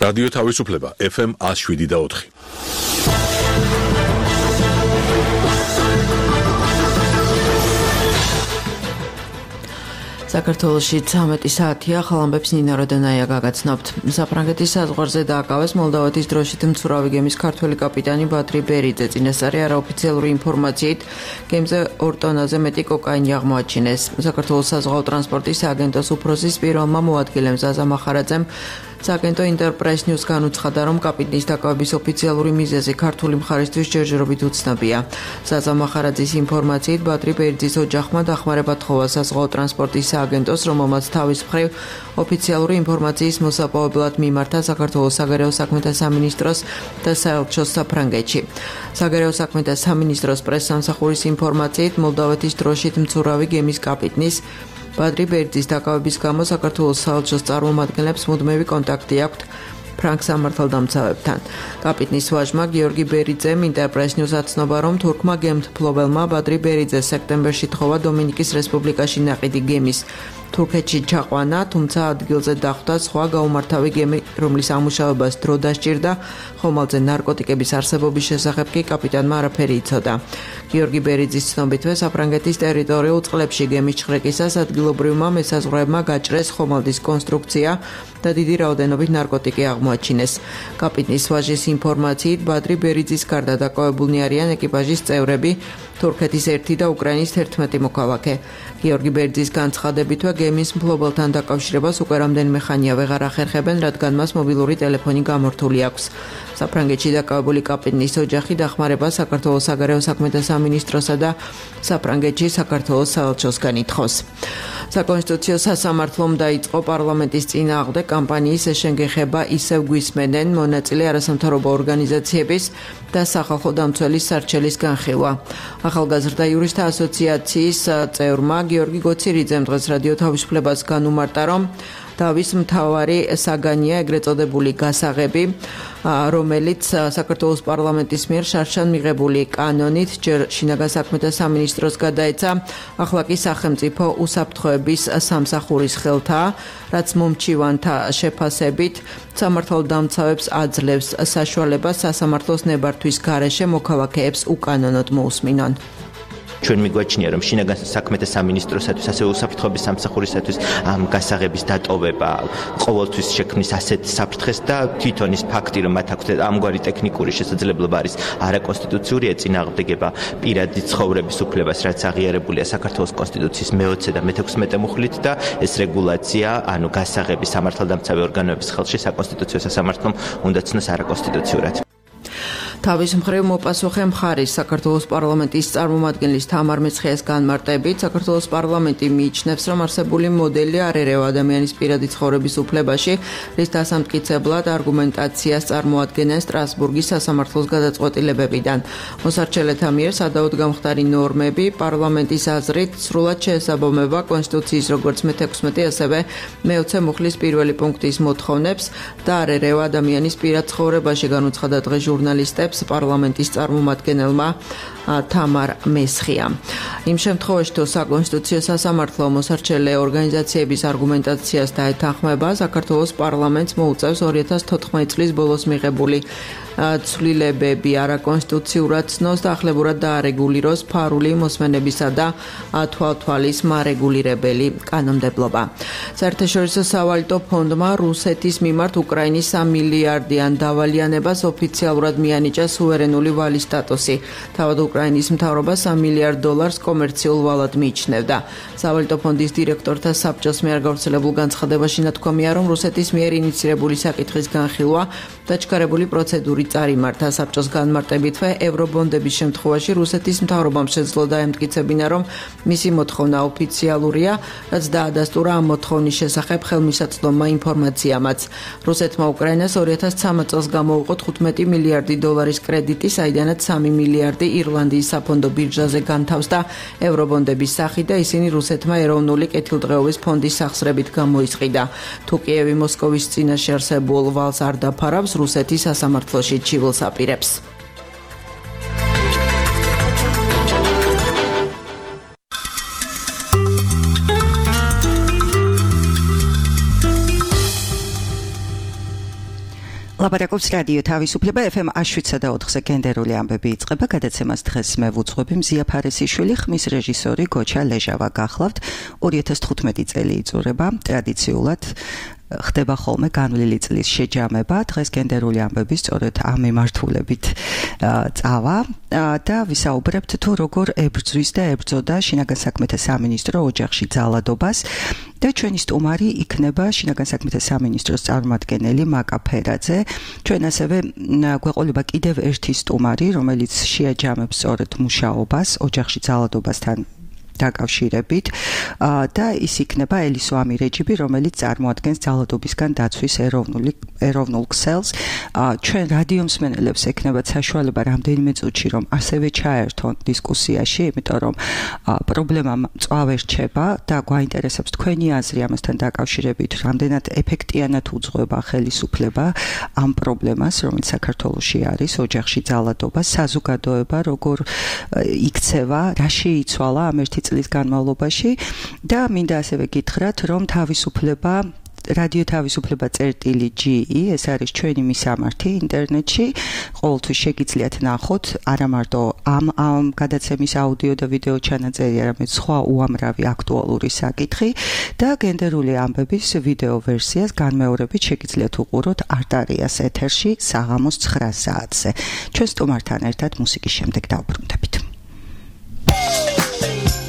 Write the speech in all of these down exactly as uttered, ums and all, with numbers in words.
რადიო თავისუფლება ეფ ემ one oh seven და four. საქართველოში ცამეტი საათია, ხალამბებს ნინა როდენაია გაგაცნობთ. საფრანგეთის საზღვარზე დააკავეს მოლდავეთის დროშით მცურავი გემის ქართველი კაპიტანი ბადრი ბერიძე. წინასწარი არაოფიციალური ინფორმაციით გემზე ორ ტონაზე მეტი კოკაინი აღმოაჩინეს. საქართველოს საზღვაო ტრანსპორტის სააგენტოს უფროსის პირველმა მოადგილემ ზაზა მახარაძემ სააგენტო ინტერპრეს ნიუს განუცხადა, რომ კაპიტნის დაკავების ოფიციალური მიზეზი ქართული მხარისთვის ჯერჯერობით უცნობია. ზაზა მახარაძის ინფორმაციით ბადრი ბერიძის ოჯახმა დახმარება თხოვა საზღვაო ტრანსპორტის სააგენტოს, რომელმაც თავის მხრივ ოფიციალური ინფორმაციის მოსაპოვებლად მიმართა საქართველოს საგარეო საქმეთა სამინისტროს და საელჩოს საფრანგეთში. საგარეო საქმეთა სამინისტროს პრესსამსახურის ინფორმაციით მოლდავეთის დროშით მცურავი გემის კაპიტნის ბადრი ბერიძის დაკავების გამო საქართველოს საელჩოს წარმომადგენლებს მუდმივი კონტაქტი აქვთ ფრანგ სამართალდამცავებთან. კაპიტნის ვაჟმა გიორგი ბერიძემ ინტერპრეს ნიუს აცნობა, რომ თურქმა გემთმფლობელმა ბადრი ბერიძეს სექტემბერში თხოვა დომინიკის რესპუბლიკაში ნაყიდი გემის თურქეთში ჩაყვანა, თუმცა ადგილზე დახვდა სხვა გაუმართავი გემი, რომლის ამუშავებას დრო დასჭირდა, ხომალდზე ნარკოტიკების არსებობის შესახებ კი კაპიტანმა არაფერი იცოდა. გიორგი ბერიძის ცნობითვე საფრანგეთის ტერიტორიულ წყლებში გემის ჩხრეკისას ადგილობრივმა მესაზღვრეებმა გაჭრეს ხომალდის კონსტრუქცია და დიდი რაოდენობით ნარკოტიკი აღმოაჩინეს. კაპიტნის ვაჟის ინფორმაციით ბადრი ბერიძის გარდა დაკავებულნი არიან ეკიპაჟის წევრები, თურქეთის ერთი და უკრაინის თერთმეტი მოქალაქე. გიორგი ბერიძის განცხადებითვე გემის მფლობელთან დაკავშირებას უკვე რამდენიმე ხანია ვეღარ ახერხებენ, რადგან მას მობილური ტელეფონი გამორთული აქვს. საფრანგეთში დაკავებული კაპიტნის ოჯახი დახმარებას საქართველოს საგარეო საქმეთა სამინისტროსა და საფრანგეთში საქართველოს საელჩოსგან ითხოვს. საკონსტიტუციო სასამართლომ დაიწყო პარლამენტის წინააღმდეგ კამპანიის ეშენგეხება ისევ გვისმენენ მონაწილე არასამთავრობო ორგანიზაციების და სახალხო დამცველის სარჩელის განხილვა. ახალგაზრდა იურისტთა ასოციაციის წევრმა გიორგი გოცირიძემ დღეს რადიო თავისუფლებას განუმარტა, რომ დავის მთავარი საგანია ეგრეთ წოდებული გასაღები, რომელიც საქართველოს პარლამენტის მიერ შარშან მიღებული კანონით ჯერ შინაგან საქმეთა სამინისტროს გადაეცა, ახლა კი სახელმწიფო უსაფრთხოების სამსახურის ხელთაა, რაც მომჩივანთა შეფასებით სამართალდამცავებს აძლევს საშუალებას სასამართლოს ნებართვის გარეშე მოქალაქეებს უკანონოდ მოусმინონ. ჩვენ მიგვაჩნია, რომ შინაგან საქმეთა სამინისტროსათვის, ასევე უსაფრთხოების სამსახურისათვის ამ გასაღების დატოვება ყოველთვის შექმნის ასეთ საფრთხეს და თვითონ ის ფაქტი, რომ მათ აქვთ ამგვარი ტექნიკური შესაძლებლობა არის არაკონსტიტუციური ეწინააღმდეგება პირადი ცხოვრების უფლებას, რაც აღიარებულია საქართველოს კონსტიტუციის მეოცე და მეთექვსმეტე მუხლით და ეს რეგულაცია, ანუ გასაღები სამართალდამცავი ორგანოების ხელში საკონსტიტუციო სასამართლომ უნდა ცნოს არაკონსტიტუციურად. თავის მხრივ მოპასუხე მხარის საქართველოს პარლამენტის წარმომადგენლის თამარ მეცხიას განმარტებით, საქართველოს პარლამენტი მიიჩნევს, რომ არსებული მოდელი არ ერევა ადამიანის პირადი ცხოვრების უფლებაში, რის დასამტკიცებლად არგუმენტაციას წარმოადგენენ სტრასბურგის სასამართლოს გადაწყვეტილებებიდან. მოსარჩელეთა მიერ სადავოდ გამხდარი ნორმები პარლამენტის აზრით სრულად შეესაბამება კონსტიტუციის როგორც მეთექვსმეტე, ასევე მეოცე მუხლის პირველი პუნქტის მოთხოვნებს და არ ერევა ადამიანის პირად ცხოვრებაში, განუცხადა დღეს ჟურნალისტებს პარლამენტის წარმომადგენელმა თამარ მესხიამ. იმ შემთხვევაში, თუ საკონსტიტუციო სასამართლო მოსარჩელე ორგანიზაციების არგუმენტაციას დაეთანხმება, საქართველოს პარლამენტს მოუწევს ორი ათას თოთხმეტი წლის ბოლოს მიღებული ცვლილებები არაკონსტიტუციურად ცნოს და ახლებურად დაარეგულიროს ფარული მოსმენებისა და თვალთვალის მარეგულირებელი კანონმდებლობა. საერთაშორისო სავალუტო ფონდმა რუსეთის მიმართ უკრაინის სამ მილიარდიან დავალიანებას ოფიციალურად მიანიჭა სუვერენული ვალის სტატუსი. თავად უკრაინის მთავრობა სამ მილიარდ დოლარს კომერციულ ვალად მიიჩნევდა. სავალუტო ფონდის დირექტორთა საბჭოს მიერ გავრცელებულ განცხადებაში ნათქვამია, რომ რუსეთის მიერ ინიცირებული საკითხის განხილვა დაჩქარებული პროცედური წარიმართა. საბჭოს განმარტებითვე ევრობონდების შემთხვევაში რუსეთის მთავრობამ შეძლო დაემტკიცებინა, რომ მისი მოთხოვნა ოფიციალურია, რაც დაადასტურა ამ მოთხოვნის შესახებ ხელმისაწვდომმა ინფორმაციამაც. რუსეთმა უკრაინას ორი ათას ცხრამეტ წელს გამოუყო თხუთმეტი მილიარდი დოლარის კრედიტი, საიდანაც სამი მილიარდი ირლანდიის საფონდო ბირჟაზე განთავს და ევრობონდების სახით და ისინი რუსეთმა ეროვნული კეთილდღეობის ფონდის სახსრებით გამოისყიდა. თუ კიევი მოსკოვის წინაშე არსებულ ვალს არ დაფარავს, რუსეთი სასამართლოში ჩივილს აპირებს. ლაპარაკობს რადიო თავისუფლება ეფ ემ შვიდსა და ოთხზე გენდერული ამბები იწყება. გადაცემას დღეს მე ვუძღვები მზია ფარესიშვილი, ხმის რეჟისორი გოჩა ლეჟავა გახლავთ. ორი ათას თხუთმეტი წელი იწურება ტრადიციულად ხდება ხოლმე განვლილი წლის შეჯამება. დღეს გენდერული ამბები სწორედ ამ მიმართულებით წავა და ვისაუბრებთ თუ როგორ ებრძვის და ებრძოდა შინაგან საქმეთა სამინისტრო ოჯახში ძალადობას და ჩვენი სტუმარი იქნება შინაგან საქმეთა სამინისტროს წარმომადგენელი მაკა ფერაძე. ჩვენ ასევე გვეყოლება კიდევ ერთი სტუმარი, რომელიც შეაჯამებს სწორედ მუშაობას ოჯახში ძალადობასთან დაკავშირებით და ის იქნება ელისო ამირეჯიბი, რომელიც წარმოადგენს ძალადობისგან დაცვის ეროვნული ეროვნულ ქსელს. ჩვენ რადიო მსმენელებს ექნებათ საშუალება რამდენიმე წუთში რომ ასევე ჩაერთონ დისკუსიაში, იმიტომ რომ პრობლემა მწვავე რჩება და გვაინტერესებს თქვენი აზრი ამასთან დაკავშირებით, რამდენად ეფექტიანად უძღვება ხელისუფლება ამ პრობლემას, რომელიც საქართველოში არის, ოჯახში ძალადობა, საზოგადოება როგორ იქცევა, რა შეიცვალა ამ ერთი წლის განმავლობაში და მინდა ასევე გითხრათ, რომ თავისუფლება რადიო თავისუფლება წერტილი ჯი ი ეს არის ჩვენი მისამართი ინტერნეტში. ყოველთვის შეგიძლიათ ნახოთ არა მარტო ამ ამ გადაცემის აუდიო და ვიდეო ჩანაწერი, არამედ სხვა უამრავი აქტუალური საკითხი და გენდერული ამბების ვიდეო ვერსიას განმეორებით შეგიძლიათ უყუროთ არტარიას ეთერში საღამოს ცხრა საათზე. ჩვენ სტუმართან ერთად მუსიკის შემდეგ დავბრუნდებით. Really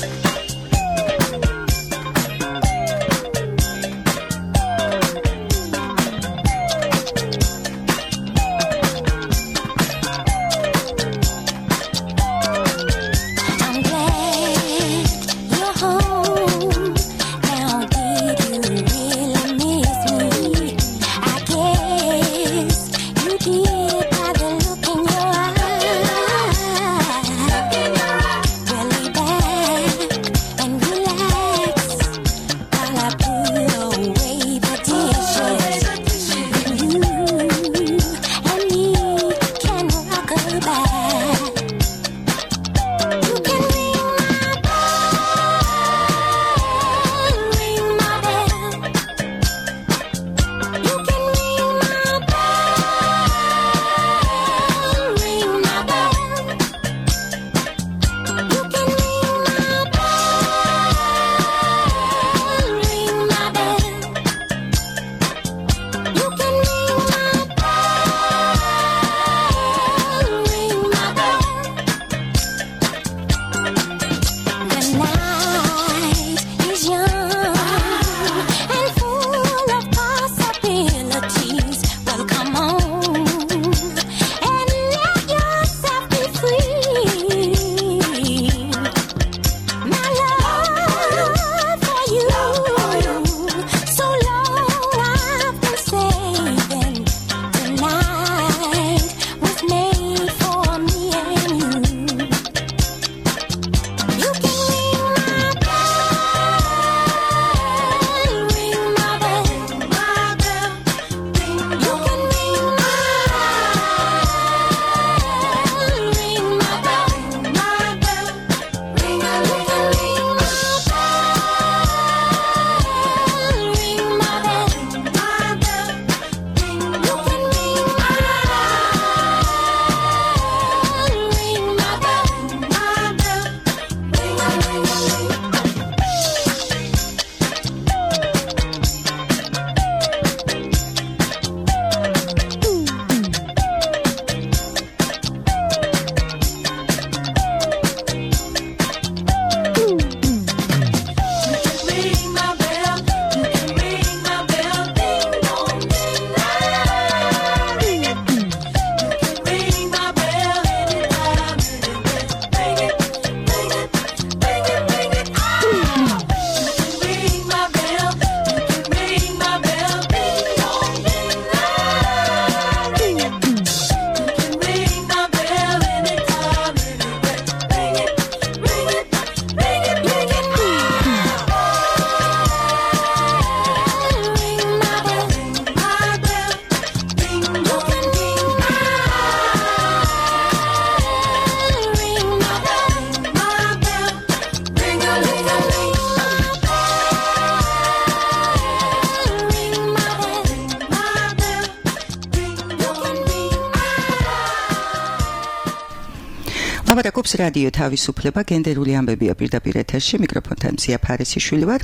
ლაპარაკობს რადიო თავისუფლება, გენდერული ამბებია პირდაპირ ეთერში, მიკროფონთან მზია ფარისიშვილი ვარ.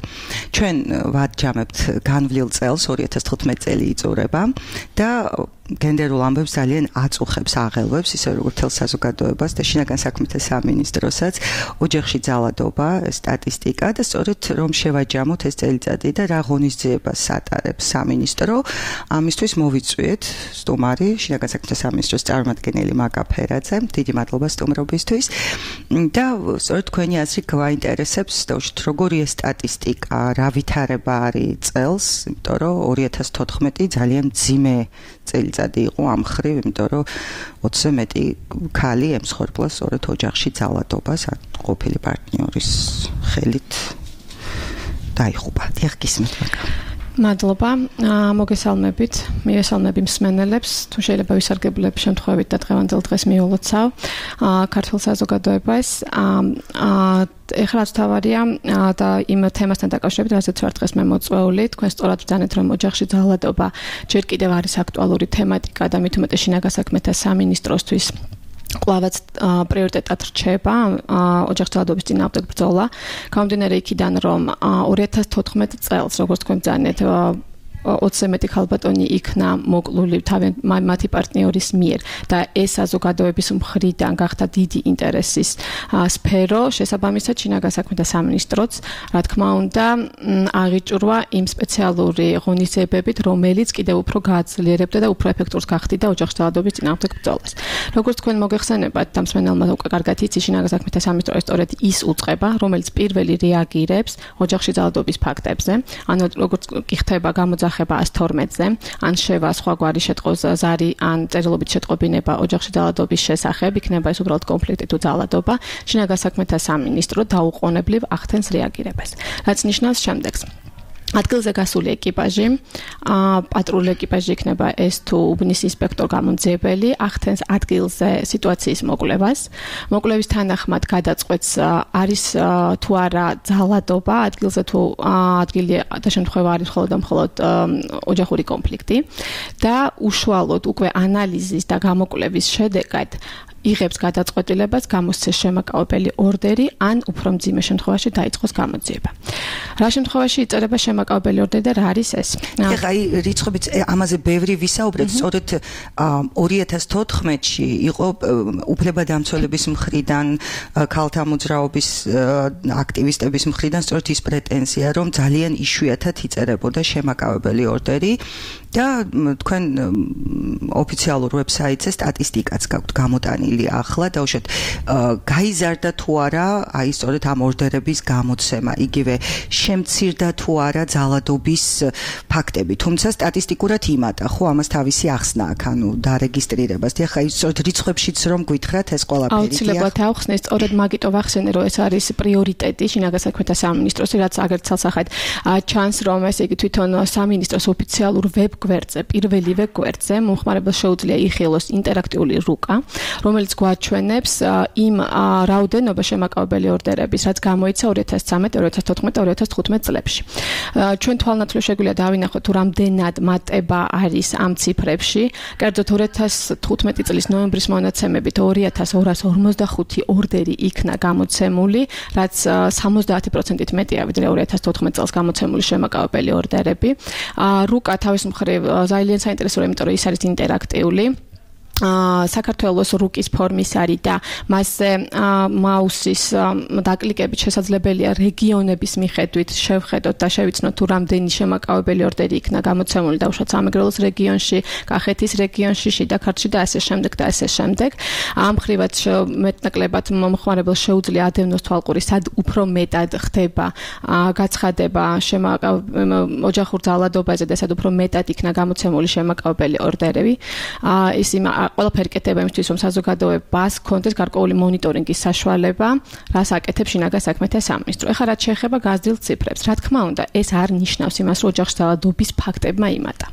ჩვენ ვაჯამებთ განვლილ წელს, ორი ათას თხუთმეტი წელი იწურება და გენდერულ ამბებს ძალიან აწუხებს, აღელვებს, ისე როგორც თელ საზოგადოებას და შინაგან საქმეთა სამინისტროსაც, ოჯახში ძალადობა, სტატისტიკა და სწორედ რომ შევაჯამოთ ეს წელიწადი და რა ღონისძიებას ატარებს სამინისტრო, ამისთვის მოვიწვიეთ სტუმარი, შინაგან საქმეთა სამინისტროს წარმომადგენელი მაკა ფერაძე. დიდი მადლობა სტუმრობისთვის და სწორედ თქვენი აზრი გვაინტერესებს, როგორია სტატისტიკა, რა ვითარება არის წელს, იმიტომ რომ ორი ათას თოთხმეტი ძალიან მძიმე წელიწადი იყო ამ ხრივ, იმიტომ რომ ოცზე მეტი ქალი ემსხვერპლა სწორედ ოჯახში ძალადობას, ყოფილი პარტნიორის ხელით დაიღუპა. დიახ, გისმენთ მაკა. მადლობა, მოგესალმებით, მივესალმები მსმენელებს, თუ შეიძლება ვისარგებლებ შემთხვევით და დღევანდელ დღეს მიულოცავ ქართულ საზოგადოებას. ეხლა რაც თავარია და იმ თემასთან დაკავშირებით, რასაც ვარ დღეს მე მოწვეული, თქვენ სწორად ბრძანეთ, რომ ოჯახში ძალადობა ჯერ კიდევ არის აქტუალური თემატიკა და მით უმეტეს შინაგან საქმეთა სამინისტროსთვის კვლავაც პრიორიტეტად რჩება ოჯახში ძალადობის წინააღმდეგ ბრძოლა. გამომდინარე იქიდან, რომ ორი ათას თოთხმეტი წელს, როგორც თქვენ ბრძანეთ, ოცზე მეტი ქალბატონი იქნა მოკლული მათი პარტნიორის მიერ და ეს საზოგადოების მხრიდან გახდა დიდი ინტერესის სფერო. შესაბამისად, შინაგან საქმეთა სამინისტროც, რა თქმა უნდა, აღიჭურვა იმ სპეციალური ღონისძიებებით, რომელიც კიდევ უფრო გააძლიერებდა და უფრო ეფექტურს გახდიდა ოჯახში ძალადობის წინააღმდეგ ბრძოლას. როგორც თქვენ მოგეხსენებათ, და მსმენელმა უკვე კარგად იცი, შინაგან საქმეთა სამინისტრო სწორედ ის უწყება, რომელიც პირველი რეაგირებს ოჯახში ძალადობის ფაქტებზე. ანუ როგორც კი ხდება გამოძახება ას თორმეტზე, ან შევა სხვაგვარი შეტყოს ზარი, ან წერილობით შეტყობინება ოჯახში ძალადობის შესახებ, იქნება ეს უბრალოდ კონფლიქტი თუ ძალადობა, შინაგან საქმეთა სამინისტრო დაუყოვნებლივ ახდენს რეაგირებას. რაც ნიშნავს შემდეგს. ადგილზე გასული ეკიპაჟი, პატრული ეკიპაჟი იქნება ეს თუ უბნის ინსპექტორ გამომძიებელი, ახდენს ადგილზე სიტუაციის მოკვლევას. მოკვლევის თანახმად გადაწყვეტს არის თუ არა ძალადობა, ადგილზე თუ ადგილი და შემთხვევა არის მხოლოდ და მხოლოდ ოჯახური კონფლიქტი და უშუალოდ უკვე ანალიზის და გამოკვლევის შედეგად იღებს გადაწყვეტილებას გამოსცეს შემაკავებელი ორდერი ან უფრო მძიმე შემთხვევაში დაიწყოს გამოძიება. რა შემთხვევაში იწერება შემაკავებელი ორდერი და რა არის ეს? ეხლა აი რიცხვებით ამაზე ბევრი ვისაუბრეთ, სწორედ ორი ათას თოთხმეტში იყო უფლებადამცველების მხრიდან, ქალთა მოძრაობის აქტივისტების მხრიდან სწორედ ის პრეტენზია, რომ ძალიან იშვიათად იწერებოდა შემაკავებელი ორდერი და თქვენ ოფიციალურ ვებსაიტზე სტატისტიკაც გაქვთ გამოტანილი ახლა და უშოთ გაიზარდა თუ არა აი სწორედ ამ ორდერების გამოცემა, იგივე შემცირდა თუ არა ძალადობის ფაქტები, თუმცა სტატისტიკურად იმატა, ხო ამას თავისი ახსნა აქვს, ანუ დარეგისტრირებას. და ხა ის სწორედ რიცხვებშიც რომ გითხრათ ეს ყველაფერი. აუცილებლად ავხსნე, სწორედ მაგიტო ვახსენე, რომ ეს არის პრიორიტეტი შინაგან საქმეთა სამინისტროს, რაც აგერ ცალსახად ჩანს, რომ ესე იგი თვითონ სამინისტროს ოფიციალურ ვებ გვერდზე, პირველივე გვერდზე მომხმარებელს შეუძლია იხილოს ინტერაქტიული რუკა, რომელიც გვაჩვენებს იმ რაოდენობა შემაკავებელი ორდერების, რაც გამოიცა ორი ათას ცხრამეტი, ორი ათას თოთხმეტი, ორი ათას თხუთმეტი წლებში. ჩვენ თვალნათვლად შეგვიძლია დავინახოთ, თუ რამდენად მატება არის ამ ციფრებში. კერძოდ ორი ათას თხუთმეტი წლის ნოემბრის მონაცემებით ორი ათას ორას ორმოცდახუთი ორდერი იქნა გამოცემული, რაც სამოცდაათი პროცენტით მეტია, ვიდრე ორი ათას თოთხმეტი წელს გამოცემული შემაკავებელი ორდერები. რუკა თავის მხრივ ძალიან საინტერესოა, იმიტომ რომ ის არის ინტერაქტიული. საქართველოს რუკის ფორმის არის და მასზე მაუსის დაკლიკებით შესაძლებელია რეგიონების მიხედვით შევხედოთ და შევიცნოთ თუ რამდენი შემაკავებელი ორდერი იქნა გამოცემული დაუშვათ სამეგრელოს რეგიონში, კახეთის რეგიონში, შიდა ქართლში და ასე შემდეგ და ასე შემდეგ. ამ ხრივაც მეტნაკლებად მომხმარებელს შეუძლია ადევნოს თვალყური, სად უფრო მეტად ხდება გაცხადება ოჯახურ ძალადობაზე და სად უფრო მეტად იქნა გამოცემული შემაკავებელი ორდერები. ის იმ ყველაფერი კეთება იმისთვის, რომ საზოგადოებას ჰქონდეს გარკვეული მონიტორინგის საშუალება, რას აკეთებს შინაგან საქმეთა სამინისტრო. ეხლა რაც შეეხება გაზრდილ ციფრებს, რა თქმა უნდა, ეს არ ნიშნავს იმას, რომ ოჯახში ძალადობის ფაქტებმა იმატა.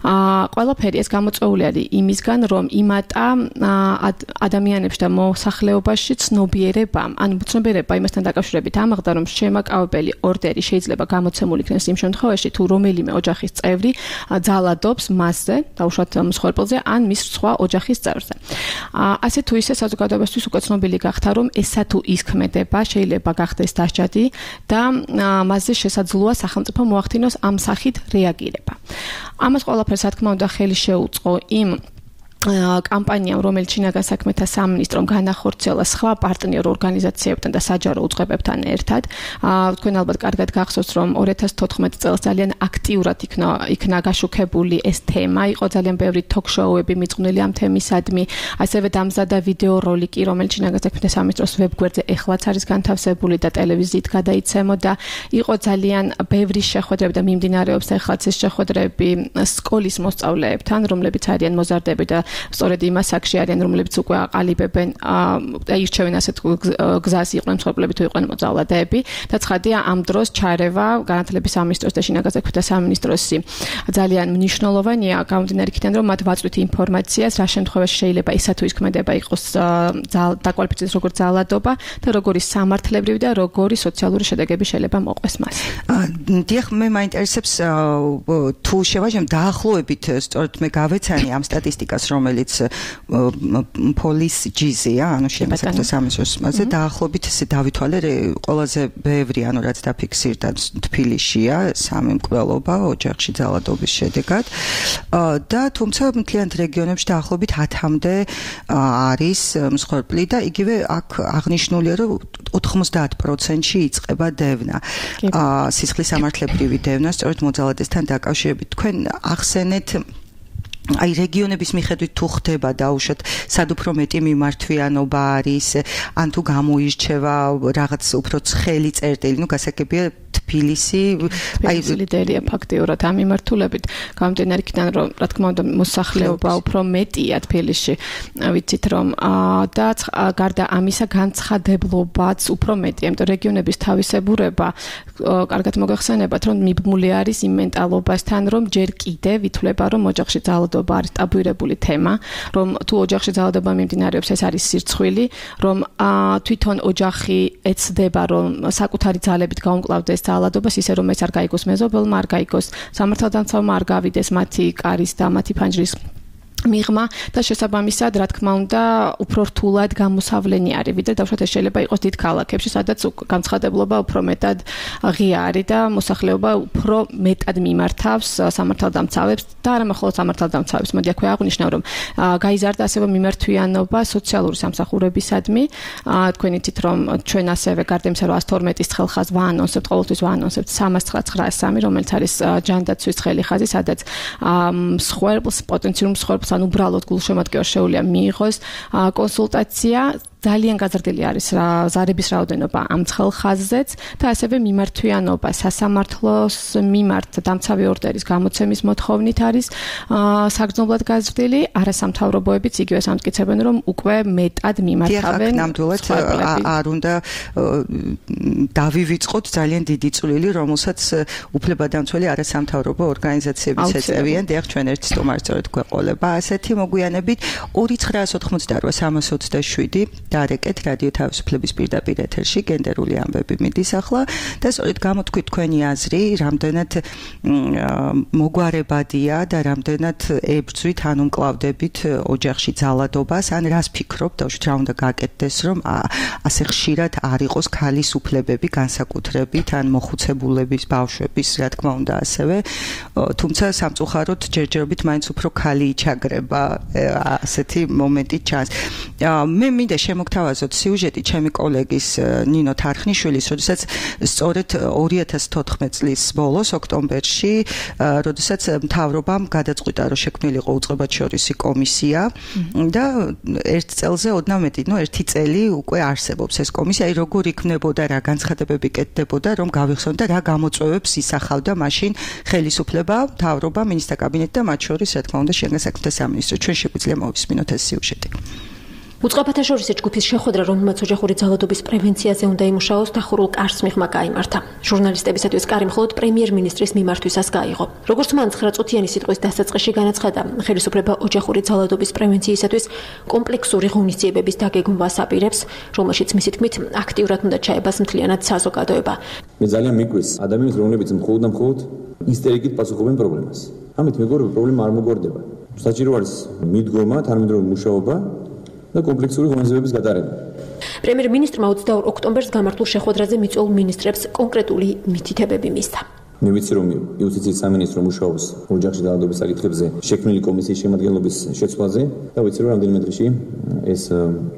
აა ყველაფერი ეს გამოწვეული არის იმისგან, რომ იმატა ადამიანებს და მოსახლეობაში ცნობიერებამ, ანუ ცნობიერება იმასთან დაკავშირებით ამაღდა, რომ შემაკავებელი ორდერი შეიძლება გამოცემული იქნეს იმ შემთხვევაში, თუ რომელიმე ოჯახის წევრი ძალადობს მასზე, დაუშვათ მსხვერპლზე, ან მის სხვა ოჯახის წევრზე. ასე თუ ისე საზოგადოებისთვის უკვე ცნობილი გახდა, რომ ესა თუ ის ქმედება შეიძლება გახდეს დასჯადი და მასზე შესაძლოა სახელმწიფო მოახდინოს ამ სახით რეაგირება. ამას ყველაფერს, რა თქმა უნდა, ხელი შეუწყო იმ კამპანიამ, რომელიც შინაგან საქმეთა სამინისტრომ განახორციელა სხვა პარტნიორ ორგანიზაციებთან და საჯარო უწყებებთან ერთად. თქვენ ალბათ კარგად გახსოვს, რომ ორი ათას თოთხმეტი წელს ძალიან აქტიურად იქნა იქნა გაშუქებული ეს თემა, იყო ძალიან ბევრი ток-შოუები მიძღვნილი ამ თემისადმი, ასევე დამზადა ვიდეო როლიკი, რომელიც შინაგან საქმეთა სამინისტროს ვებგვერდზე ეხლაც არის განთავსებული და ტელევიზიით გადაიცემოდა. იყო ძალიან ბევრი შეხვედრები და მიმდინარეობს ეხლაც ეს შეხვედრები სკოლის მოსწავლეებთან, რომლებიც არიან მოზარდები და სწორედ იმ ასაკში არიან, რომლებიც უკვე აყალიბებენ და ირჩევენ ასეთ გზას, იყვნენ მსხვერპლები თუ იყვნენ მოძალადეები და ცხადია ამ დროს ჩარევა განათლების სამინისტროს და შინაგან საქმეთა სამინისტროსი ძალიან მნიშვნელოვანია, გამომდინარე იქიდან, რომ მათ ვაწვით ინფორმაციას, რა შემთხვევაში შეიძლება ისა თუ ის ქმედება იყოს დაკვალიფიცირდეს როგორც ძალადობა და როგორი სამართლებრივი და როგორი სოციალური შედეგები შეიძლება მოყვეს მას. დიახ, მე მაინტერესებს თუ შევაჟեմ დაახლოებით, სწორედ მე გავეცანი ამ სტატისტიკას, რომელიც police G-ზეა, ანუ შინაგან სამინისტროს მასზე დაახლოებით ესე დავითვალე ყველაზე ბევრი, ანუ რაც დაფიქსირდა თბილისშია, სამი მკვლელობა ოჯახში ძალადობის შედეგად და თუმცა მთლიანად რეგიონებში დაახლოებით ათამდე არის მსხვერპლი და იგივე აქ აღნიშნულია, რომ ოთხმოცდაათ პროცენტში იწყება დევნა. სისხლის სამართლებრივი დევნა, სწორედ მოძალადესთან დაკავშირებით. თქვენ ახსენეთ აი რეგიონების მიხედვით თუ ხდება დაუშვათ სად უფრო მეტი მიმართვიანობა არის ან თუ გამოირჩევა რაღაც უფრო ცხელი წერტილი, ну გასაგებია თბილისი აი ლიდერია ფაქტიურად ამ მიმართულებით. გამომდინარე იქიდან, რომ რა თქმა უნდა მოსახლეობა უფრო მეტია თბილისში, ვიცით რომ და გარდა ამისა განცხადებლობაც უფრო მეტია, იმიტომ რეგიონების თავისებურება კარგად მოგეხსენებათ, რომ მიბმული არის იმ მენტალობასთან, რომ ჯერ კიდევ ითვლება, რომ ოჯახში ძალადობა არის ტაბუირებული თემა, რომ თუ ოჯახში ძალადობა მიმდინარეობს, ეს არის სირცხვილი, რომ თვითონ ოჯახი ეცდება, რომ საკუთარი ძალებით გაუმკლავდეს ძალადობას, ისე რომ ეს არ გაიგოს მეზობელმა, არ გაიგოს სამართალდამცავმა, არ გავიდეს მათი კარის და მათი ფანჯრის მიღმა და შესაბამისად, რა თქმა უნდა, უფრო რთულად გამოსავლენი არის, ვიდრე დავუშვათ ეს შეიძლება იყოს დიდ ქალაქებში, სადაც განცხადებლობა უფრო მეტად ღია არის და მოსახლეობა უფრო მეტად მიმართავს სამართალდამცავებს და არა მხოლოდ სამართალდამცავებს. მოდი აქვე აღვნიშნო, რომ გაიზარდა ასევე მიმართვიანობა სოციალური სამსახურებისადმი. თქვენ იცით, რომ ჩვენ ასევე გარდა იმისა, რომ ათს თორმეტის ცხელხაზს ვაანონსებთ, ყოველთვის ვაანონსებთ სამას ცხრაასი, რომელიც არის ჯანდაცვის ცხელი ხაზი, სადაც მსხვერპლს, პოტენციურ მსხვერპლს ან უბრალოდ გულშემატკივარს შეუძლია მიიღოს კონსულტაცია. ძალიან გაზრდილი არის ზარების რაოდენობა ამ ცხელხაზზეც და ასევე მიმართვიანობა სასამართლოს მიმართ დამცავი ორდერის გამოცემის მოთხოვნით არის საგრძნობლად გაზრდილი. არასამთავრობოებიც იგივე ამტკიცებენ, რომ უკვე მეტად მიმართავენ. ნამდვილად არ უნდა დავივიწყოთ ძალიან დიდი წვლილი, რომელსაც უფლებადამცველი არასამთავრობო ორგანიზაციებიც ეწევიან. დიახ, ჩვენ ერთ სტუმარს სწორედ გვეყოლება ასეთი მოგვიანებით ორი ცხრაას ოცდაოთხმოცდაოთხ სამას ოცდაშვიდი დარეკეთ რადიო თავისუფლების პირდაპირ ეთერში გენდერული ამბები მიდის ახლა და სწორედ გამოთქვით თქვენი აზრი, რამდენად მოგვარებადია და რამდენად ებრძვით ან უმკლავდებით ოჯახში ძალადობას, ან რას ფიქრობთ, დაუშვით რა უნდა გაკეთდეს, რომ ასე ხშირად არ იყოს ქალის უფლებები განსაკუთრებით ან მოხუცებულების ბავშვების, რა თქმა უნდა ასევე, თუმცა სამწუხაროდ ჯერჯერობით მაინც უფრო ქალი იჩაგრება ასეთი მომენტი ჩანს. მე მინდა მოგთავაზოთ სიუჟეტი ჩემი კოლეგის ნინო თარხნიშვილის, როდესაც სწორედ ორი ათას თოთხმეტი წლის ბოლოს ოქტომბერში, როდესაც მთავრობამ გადაწყვიტა, რომ შექმნილიყო უწყებათშორისი კომისია და ერთ წელზე ოდნავ მეტი, ნუ ერთი წელი უკვე არსებობს ეს კომისია, აი როგორ იქნებოდა, რა განცხადებები კეთდებოდა, რომ გავიხსენოთ და რა გამოწვევებს ისახავდა მაშინ ხელისუფლება, მთავრობა, მინისტრთა კაბინეტი და მათ შორის, რა თქმა უნდა, შინაგან საქმეთა სამინისტრო. ჩვენ შეგვიძლია მოვისმინოთ ეს სიუჟეტი. უწყებათა შორის ჯგუფის შეხვედრა, რომელმაც ოჯახური ძალადობის პრევენციაზე უნდა იმუშაოს, დახურულ კარს მიღმა გაიმართა. ჟურნალისტებისათვის კარი მხოლოდ პრემიერ-მინისტრის მიმართვისას გაიღო. როგორც მან ცხრაწუთიანი სიტყვის დასაწყისში განაცხადა, ხელისუფლება ოჯახური ძალადობის პრევენციისათვის კომპლექსური ღონისძიებების დაგეგმვას აპირებს, რომელშიც მისი თქმით აქტიურად უნდა ჩაებას მთლიანად საზოგადოება. მე ძალიან მიგვეს ადამიანს, რომლებიც მხოლოდ და მხოლოდ ისტერიკით პასუხობენ პრობლემას. ამით მეგობრებო, პრობლემა არ მოგვარდება. საჭირო არის მიდგომა, თანამედროვე მუშაობა და კომპლექსური ღონისძიებების გატარება. პრემიერ-მინისტრმა ოცდაორ ოქტომბერს გამართულ შეხვედრაზე მიწვეულ მინისტრებს კონკრეტული მითითებები მისცა. მე ვიცი, რომ იუსტიციის სამინისტრო მუშაობს ოჯახში ძალადობის საკითხებზე შექმნილი კომისიის შემადგენლობის შეცვლაზე და ვიცი, რომ რამდენიმე დღეში ეს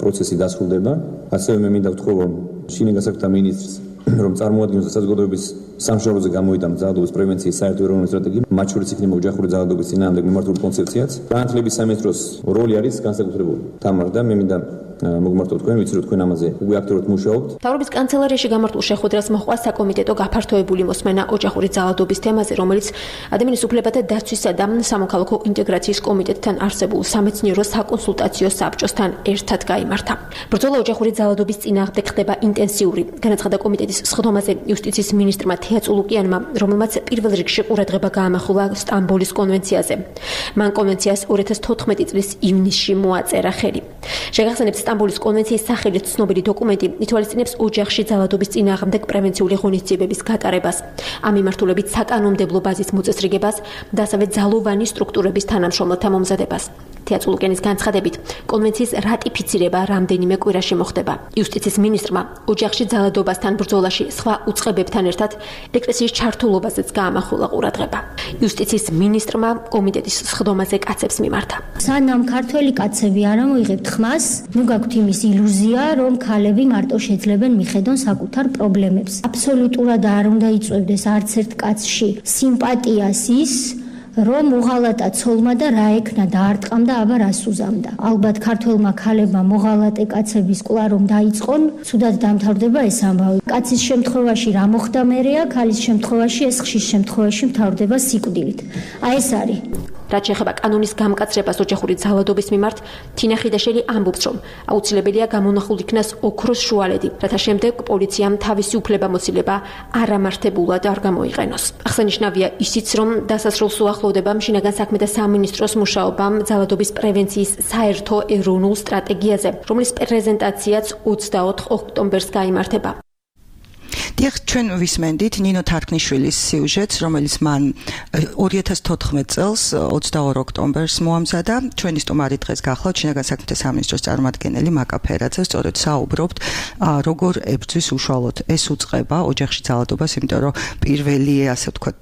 პროცესი დასრულდება. ასევე მე მინდა ვთქვა, რომ შინაგან საქმეთა მინისტრს რომ წარმოადგენს საზოგადოების სამშობლოზე გამოიტანა ძალადობის პრევენციის საერთო ეროვნული სტრატეგია, მათ შორის იქნება ოჯახური ძალადობის წინააღმდეგ მიმართული კონცეფციაც. განათლების სამინისტროს როლი არის განსაკუთრებული. თამარ და მე მინდა მოგმართოთ თქვენ, ვიცი რომ თქვენ ამაზე უკვე აქტიურად მუშაობთ. მთავრობის კანცელარიაში გამართულ შეხვედრას მოჰყვა საკომიტეტო გაფართოებული მოსმენა ოჯახური ძალადობის თემაზე, რომელიც ადამიანის უფლებათა დაცვისა და სამოქალაქო ინტეგრაციის კომიტეტთან არსებულ სამეცნიერო საკონსულტაციო საბჭოსთან ერთად გაიმართა. ბრძოლა ოჯახური ძალადობის წინააღმდეგ ხდება ინტენსიური, განაცხადა კომიტეტის სხდომაზე იუსტიციის მინისტრმა თეა წულუკიანმა, რომელმაც პირველ რიგში ყურადღება გაამახვილა სტამბოლის კონვენციაზე. მან კონვენციას ორი ათას თოთხმეტი წლის ივნისში მოაწერა ხელი. შეგახსენებთ, სტამბოლის კონვენციის სახელით ცნობილი დოკუმენტი ითვალისწინებს ოჯახში ძალადობის წინააღმდეგ პრევენციული ღონისძიებების გატარებას, ამ მიმართულებით საკანონმდებლო ბაზის მოწესრიგებას და ასევე ძალოვანი სტრუქტურების თანამშრომლთა მომზადებას. თეა წულუკიანის განცხადებით, კონვენციის რატიფიცირება რამდენიმე კვირაში მოხდება. იუსტიციის მინისტრმა ოჯახში ძალადობასთან ბრძოლაში სხვა უწყებებთან ერთად ეკლესიის ჩართულობაზეც გაამახვილა ყურადღება. იუსტიციის მინისტრმა კომიტეტის სხდომაზე კაცებს მიმართა. სანამ ქართველი კაცები არ ამოიღებთ ხმას, ნუ გაქვთ იმის ილუზია, რომ ქალები მარტო შეძლებენ მიხედონ საკუთარ პრობლემებს. აბსოლუტურად არ უნდა იწვევდეს არც ერთ კაცში სიმპათიას ის, რომ მოღალატა ცოლმა და რა ეკნა და არტყამ და აბა რას უზამდა. ალბათ ქართველმა ქალებმა მოღალატე კაცების კვლავ რომ დაიწყონ, ცუდად დამთავრდება ეს ამბავი. კაცის შემთხვევაში რა მოხდა მერეა, ქალის შემთხვევაში ეს ხშირ შემთხვევაში მთავრდება სიკვდილით. აი ეს არის. რაც შეეხება კანონის გამკაცრებას ოჯახური ძალადობის მიმართ, თინა ხიდაშელი ამბობს, რომ აუცილებელია გამონახულ იქნას ოქროს შუალედი, რათა შემდეგ პოლიციამ თავისი უფლებამოსილება არამართებულად არ გამოიყენოს. აღსანიშნავია ისიც, რომ დასასრულს უახლოვდება შინაგან საქმეთა სამინისტროს მუშაობა ძალადობის პრევენციის საერთო ეროვნულ სტრატეგიაზე, რომლის პრეზენტაციაც ოცდაოთხ ოქტომბერს გაიმართება. დიახ, ჩვენ ვისმენდით ნინო თარქნიშვილის სიუჟეტს, რომელიც მან ორი ათას თოთხმეტ წელს ოცდაორ ოქტომბერს მოამზადა. ჩვენი სტუმარი დღეს გახლავთ შინაგან საქმეთა სამინისტროს წარმომადგენელი მაკა ფერაძე. სწორედ საუბრობთ, როგორ ებრძვის უშუალოდ ეს უწყება ოჯახში ძალადობას, იმიტომ რომ პირველი, ასე ვთქვათ,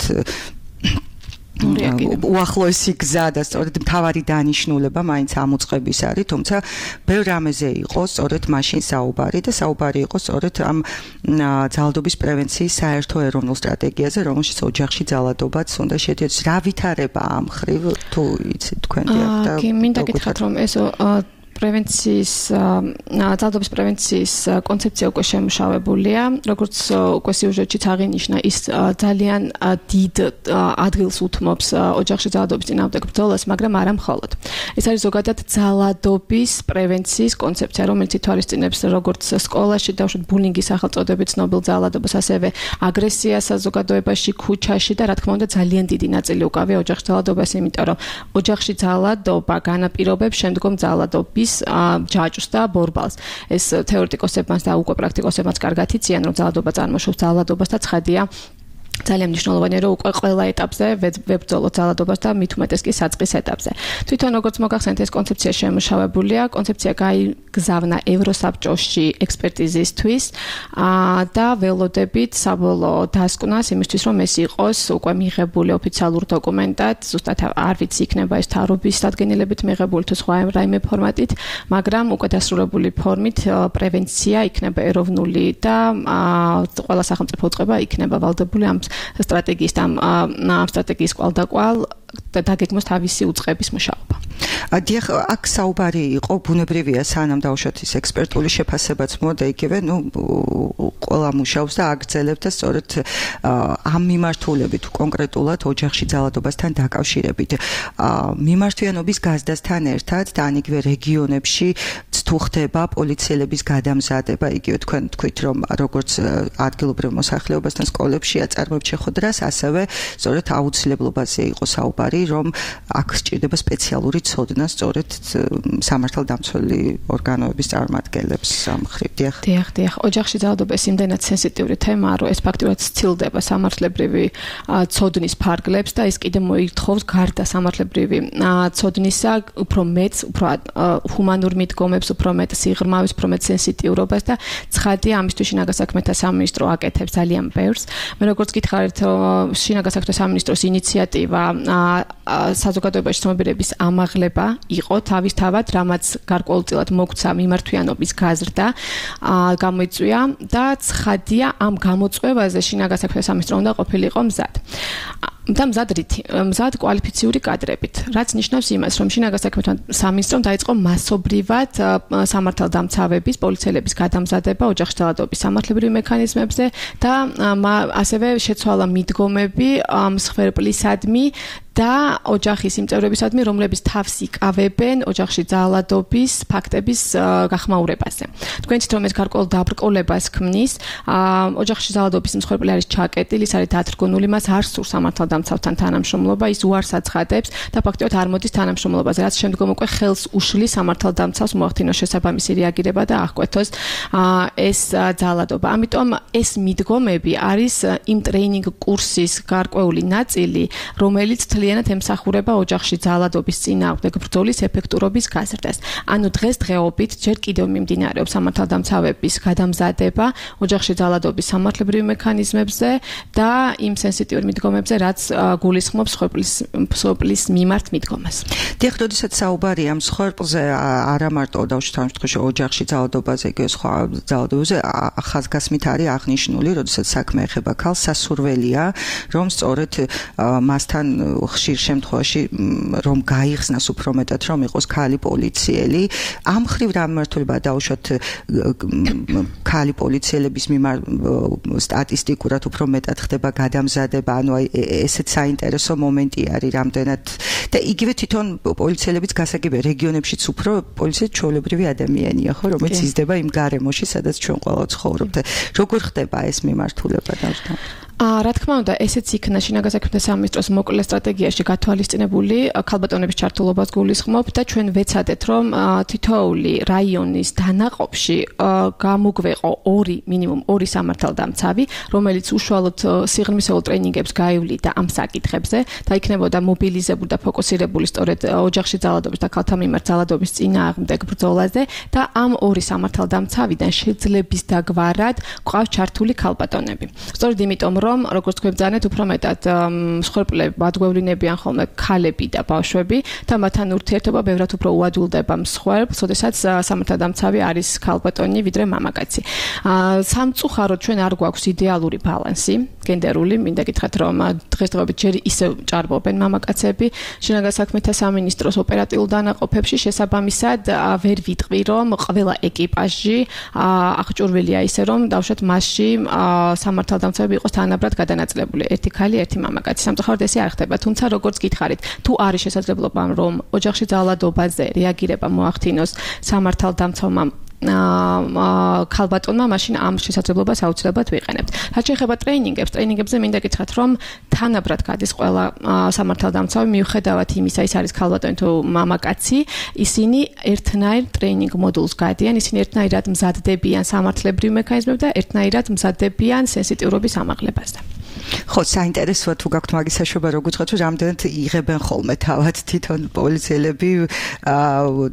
უახლოესი გზა და სწორედ მთავარი დანიშნულება მაინც ამ უწყების არის, თუმცა ბევრ რამეზე იყო სწორედ მაშინ საუბარი და საუბარი იყო სწორედ ამ ძალადობის პრევენციის საერთო ეროვნულ სტრატეგიაზე, რომელშიც ოჯახში ძალადობაც უნდა შედიოდეს. რა ვითარება ამ ხრივ თუ იცით თქვენ დიახ და კი, მინდა გითხრათ, რომ ეს პრევენციის ძალადობის პრევენციის კონცეფცია უკვე შემუშავებულია, როგორც უკვე სიუჟეტშიც აღინიშნა, ის ძალიან დიდ ადგილს უთმობს ოჯახში ძალადობის წინააღმდეგ ბრძოლას, მაგრამ არა მხოლოდ. ეს არის ზოგადად ძალადობის პრევენციის კონცეფცია, რომელიც ითვალისწინებს როგორც სკოლაში დავუშვათ ბულინგის სახელწოდებით ცნობილ ძალადობას, ასევე აგრესიას საზოგადოებაში, ქუჩაში და რა თქმა უნდა ძალიან დიდი ნაწილი უკავია ოჯახში ძალადობას, იმიტომ რომ ოჯახში ძალადობა განაპირობებს შემდგომ ძალადობის ჯაჭვს და ბორბალს. ეს თეორეტიკოსებმაც და უკვე პრაქტიკოსებმაც კარგად იციან, რომ ძალადობა წარმოშობს ძალადობას და ცხადია ძალიან მნიშვნელოვანია, რომ უკვე ყველა ეტაპზე ვებრძოლოთ ძალადობას და მით უმეტეს კი საწყის ეტაპზე. თვითონ როგორც მოგახსენეთ, ეს კონცეფცია შემუშავებულია, კონცეფცია გაიგზავნა ევროსაბჭოში ექსპერტიზისთვის და ველოდებით საბოლოო დასკვნას იმისთვის, რომ ეს იყოს უკვე მიღებული ოფიციალურ დოკუმენტად, ზუსტად არ ვიცი იქნება ეს მთავრობის დადგენილებით მიღებული თუ სხვა რაიმე ფორმატით, მაგრამ უკვე დასრულებული ფორმით პრევენცია იქნება ეროვნული და ყველა სახელმწიფო უწყება იქნება ვალდებული ამ სტრატეგიის და ამ სტრატეგიის კვალდაკვალ და დაგეგმოს თავისი უწყების მუშაობა. დიახ, აქ საუბარი იყო ბუნებრივია სანამ დავუშვათ ის ექსპერტული შეფასებაც მოდა იგივე, ნუ ყველა მუშაობს და აგრძელებდა სწორედ ამ მიმართულებით კონკრეტულად ოჯახში ძალადობასთან დაკავშირებით. მიმართვიანობის გაზრდასთან ერთად და ან იგივე რეგიონებში თუ ხდება პოლიციელების გადამზადება, იგივე თქვენ თქვით რომ როგორც ადგილობრივ მოსახლეობასთან სკოლებში აწარმოებთ შეხვედრას, ასევე სწორედ აუცილებლობაზე იყო საუბარი, რომ აქ სჭირდება სპეციალური ცოდნა სწორედ სამართალდამცველი ორგანოების წარმომადგენლებს სამხრივ. დიახ. დიახ, დიახ. ოჯახში ძალადობა ეს იმდენად სენსიტიური თემაა, რომ ეს ფაქტურად სცილდება სამართლებრივი ცოდნის ფარგლებს და ეს კიდე მოითხოვს გარდა სამართლებრივი ცოდნისა უფრო მეც, უფრო ჰუმანურ მიდგომებს, უფრო მეტ სიღრმავის, უფრო მეტ სენსიტიურობას და ცხადია ამისთვის შინაგან საქმეთა სამინისტრო აკეთებს ძალიან ბევრს. მე როგორც გითხარით, შინაგან საქმეთა სამინისტროს ინიციატივა საზოგადოებაში ცნობიერების ამაღლება იყო თავისთავად, რამაც გარკვეულწილად მოგცა მიმართვიანობის გაზრდა გამოიწვია და ცხადია ამ გამოწვევაზე შინაგან საქმეთა სამინისტრო უნდა ყოფილიყო მზად. და მზად რითი? მზად კვალიფიციური კადრებით, რაც ნიშნავს იმას, რომ შინაგან საქმეთა სამინისტრომ დაიწყო მასობრივად სამართალდამცავების, პოლიციელების გადამზადება ოჯახში ძალადობის სამართლებრივი მექანიზმებზე და ასევე შეცვალა მიდგომები მსხვერპლისადმი და ოჯახის იმ წევრებისადმი, რომლებიც თავს იკავებენ ოჯახში ძალადობის ფაქტების გახმაურებაზე. თქვენ იცით, რომ ეს გარკვეულ დაბრკოლებას ქმნის, ოჯახში ძალადობის მსხვერპლი არის ჩაკეტილი, ის არის დათრგუნული, მას არ სურს სამართალდამცავთან თანამშრომლობა, ის უარს აცხადებს და ფაქტობრივად არ მოდის თანამშრომლობაზე, რაც შემდგომ უკვე ხელს უშლის სამართალდამცავს მოახდინოს შესაბამისი რეაგირება და აღკვეთოს ეს ძალადობა. ამიტომ ეს მიდგომები არის იმ ტრეინინგ კურსის გარკვეული ნაწილი, რომელიც ძალიანად ემსახურება ოჯახში ძალადობის წინააღმდეგ ბრძოლის ეფექტურობის გაზრდას. ანუ დღესდღეობით ჯერ კიდევ მიმდინარეობს სამართალდამცავების გადამზადება ოჯახში ძალადობის სამართლებრივი მექანიზმებზე და იმ სენსიტიურ მიდგომებზე, რაც გულისხმობს მსხვერპლის მიმართ მიდგომას. დიახ, როდესაც საუბარია მსხვერპლზე, არა მარტო დავუშვათ ამ შემთხვევაში ოჯახში ძალადობაზე, იგივე სხვა ძალადობაზე, ახასგასმით არის აღნიშნული, როდესაც საქმე ეხება ქალს, სასურველია, რომ სწორედ მასთან ხშირ შემთხვევაში რომ გაიხსნას უფრო მეტად რომ იყოს ქალი პოლიციელი. ამ ხრივ რა მიმართულება დაუშვათ ქალი პოლიციელების მიმართ სტატისტიკურად უფრო მეტად ხდება გადამზადება, ანუ აი ესეც საინტერესო მომენტი არის რამდენად და იგივე თვითონ პოლიციელებიც გასაგებია რეგიონებშიც უფრო პოლიცია ჩვეულებრივი ადამიანია, ხო, რომელიც იზრდება იმ გარემოში, სადაც ჩვენ ყველა ცხოვრობთ. როგორ ხდება ეს მიმართულება დავთან? რა თქმა უნდა, ესეც იქნა შინაგან საქმეთა სამინისტროს მოკლე სტრატეგიაში გათვალისწინებული, ქალბატონების ჩართულობას გულისხმობ და ჩვენ ვეცადეთ, რომ თითოეული რაიონის დანაყოფში გამოგვეყო ორი, მინიმუმ ორი სამართალდამცავი, რომელიც უშუალოდ სიღრმისეულ ტრეინინგებს გაივლიდა ამ საკითხებზე და იქნებოდა მობილიზებული და ფოკუსირებული სწორედ ოჯახში ძალადობის და ქალთა მიმართ ძალადობის წინააღმდეგ ბრძოლაზე და ამ ორი სამართალდამცავიდან შეძლების დაგვარად გვყავს ჩართული ქალბატონები. სწორედ იმიტომ, რომ როგორც თქვენ ბრძანეთ, უფრო მეტად მსხვერპლები ადგვევლინებიან ხოლმე ქალები და ბავშვები და მათთან ურთიერთობა ბევრად უფრო უადვილდება მსხვერპლს, როდესაც სამართალდამცავი არის ქალბატონი ვიდრე მამაკაცი. სამწუხაროდ ჩვენ არ გვაქვს იდეალური ბალანსი გენდერული, მინდა გითხრათ, რომ დღესდღეობით ჯერ ისევ ჭარბობენ მამაკაცები შინაგან საქმეთა სამინისტროს ოპერატიულ დანაყოფებში, შესაბამისად ვერ ვიტყვი, რომ ყველა ეკიპაჟი აღჭურვილია ისე, რომ დავუშვათ მასში სამართალდამცავები იყოს თანაბრად გადანაწილებული, ერთი ქალი, ერთი მამაკაცი. სამწუხაროდ ესე არ ხდება, თუმცა როგორც გითხარით, თუ არის შესაძლებლობა, რომ ოჯახში ძალადობაზე რეაგირება მოახდინოს სამართალდამცავმა ქალბატონმა, მაშინ ამ შესაძლებლობას აუცილებლად ვიყენებთ. რაც შეეხება ტრეინინგებს, ტრეინინგებზე მინდა გითხრათ, რომ თანაბრად გადის ყველა სამართალდამცავი, მიუხედავად იმისა, ის არის ქალბატონი თუ მამაკაცი, ისინი ერთნაირ ტრეინინგ მოდულს გადიან, ისინი ერთნაირად მზადდებიან სამართლებრივ მექანიზმებს და ერთნაირად მზადდებიან სენსიტიურობის ამაღლებაზე. ხო, საინტერესოა თუ გაქვთ მაგის საშუალება, როგორ გითხრათ, რომ რამდენად იღებენ ხოლმე თავად თვითონ პოლიციელები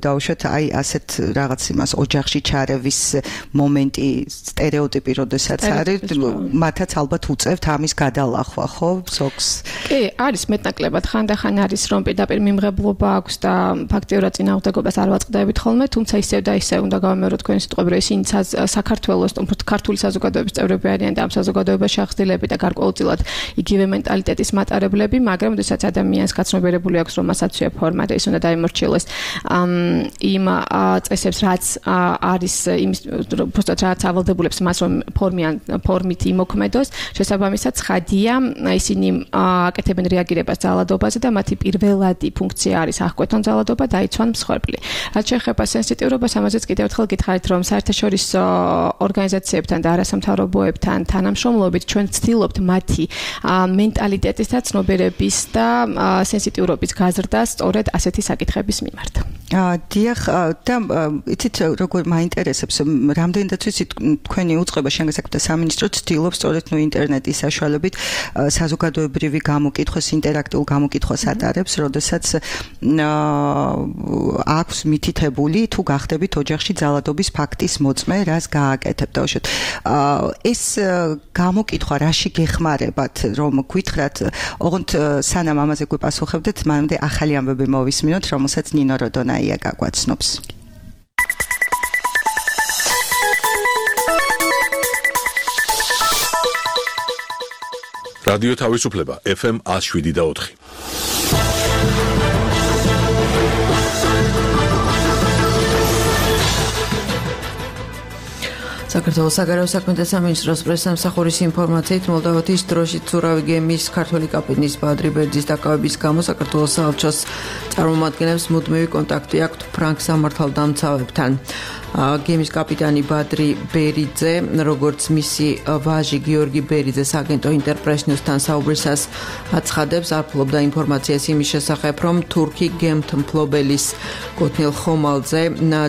დაუშვათ აი ასეთ რაღაც იმას ოჯახში ჩარევის მომენტი, სტერეოტიპი, როდესაც არის, მათაც ალბათ უწევთ ამის გადალახვა, ხო, ზოგს? კი, არის მეტნაკლებად, ხანდახან არის, რომ პირდაპირ მიმღებლობა აქვს და ფაქტიურად წინააღმდეგობას არ ვაწყდებით ხოლმე, თუმცა ისევ და ისევ უნდა გავამეოროთ თქვენი სიტყვები, რომ ისინი საქართველოს, უფრო ქართული საზოგადოების წევრები არიან და ამ საზოგადოებაში აღზრდილები და გარკვეულწილად ნამდვილად იგივე მენტალიტეტის მატარებლები, მაგრამ როდესაც ადამიანს გაცნობიერებული აქვს, რომ მასაცვია ფორმა და ის უნდა დაიმორჩილოს იმ წესებს, რაც არის იმის უბრალოდ რაც ავალდებულებს მას რომ ფორმიან ფორმით იმოქმედოს, შესაბამისად ცხადია, ისინი აკეთებენ რეაგირებას ძალადობაზე და მათი პირველადი ფუნქცია არის აღკვეთონ ძალადობა, დაიცვან მსხვერპლი. რაც შეეხება სენსიტიურობას, ამაზეც კიდევ ერთხელ გითხარით, რომ საერთაშორისო ორგანიზაციებთან და არასამთავრობოებთან თანამშრომლობით ჩვენ ვცდილობთ მათი მენტალიტეტის და ცნობიერების და სენსიტიურობის გაზრდა სწორედ ასეთი საკითხების მიმართ. დიახ, და იცით როგორ მაინტერესებს, რამდენადაც ვიცი თქვენი უწყება შინაგანსაკუთრებთა სამინისტრო ცდილობს სწორედ ნუ ინტერნეტის საშუალებით საზოგადოებრივი გამოკითხვას, ინტერაქტიულ გამოკითხვას ატარებს, როდესაც აქვს მითითებული თუ გახდებით ოჯახში ძალადობის ფაქტის მოწმე, რას გააკეთებთ. ეს გამოკითხვა რაში გეხმარებათ, რომ გითხრათ, ოღონდ სანამ ამაზე გვიპასუხებდეთ, მანამდე ახალი ამბები მოვისმინოთ, რომელსაც ნინო როდონაია გაგვაცნობს. რადიო თავისუფლება ეფ ემ one oh seven და four. საქართველოს საგარეო საქმეთა სამინისტროს პრესსამსახურის ინფორმაციით, მოლდოვეთის დროშით ცურავი გემის ქართველი კაპიტნის ბადრი ბერძის დაკავების გამო საქართველოს საელჩოს წარმომადგენლებს მუდმივი კონტაქტი აქვთ ფრანგ სამართალდამცავებთან. გემის კაპიტანი ბადრი ბერიძე, როგორც მისი ვაჟი გიორგი ბერიძე საგენტო ინტერპრესნიუსთან საუბრისას აცხადებს, არ ფლობდა ინფორმაციას იმის შესახებ, რომ თურქი გემთმფლობელის კუთვნილ ხომალდზე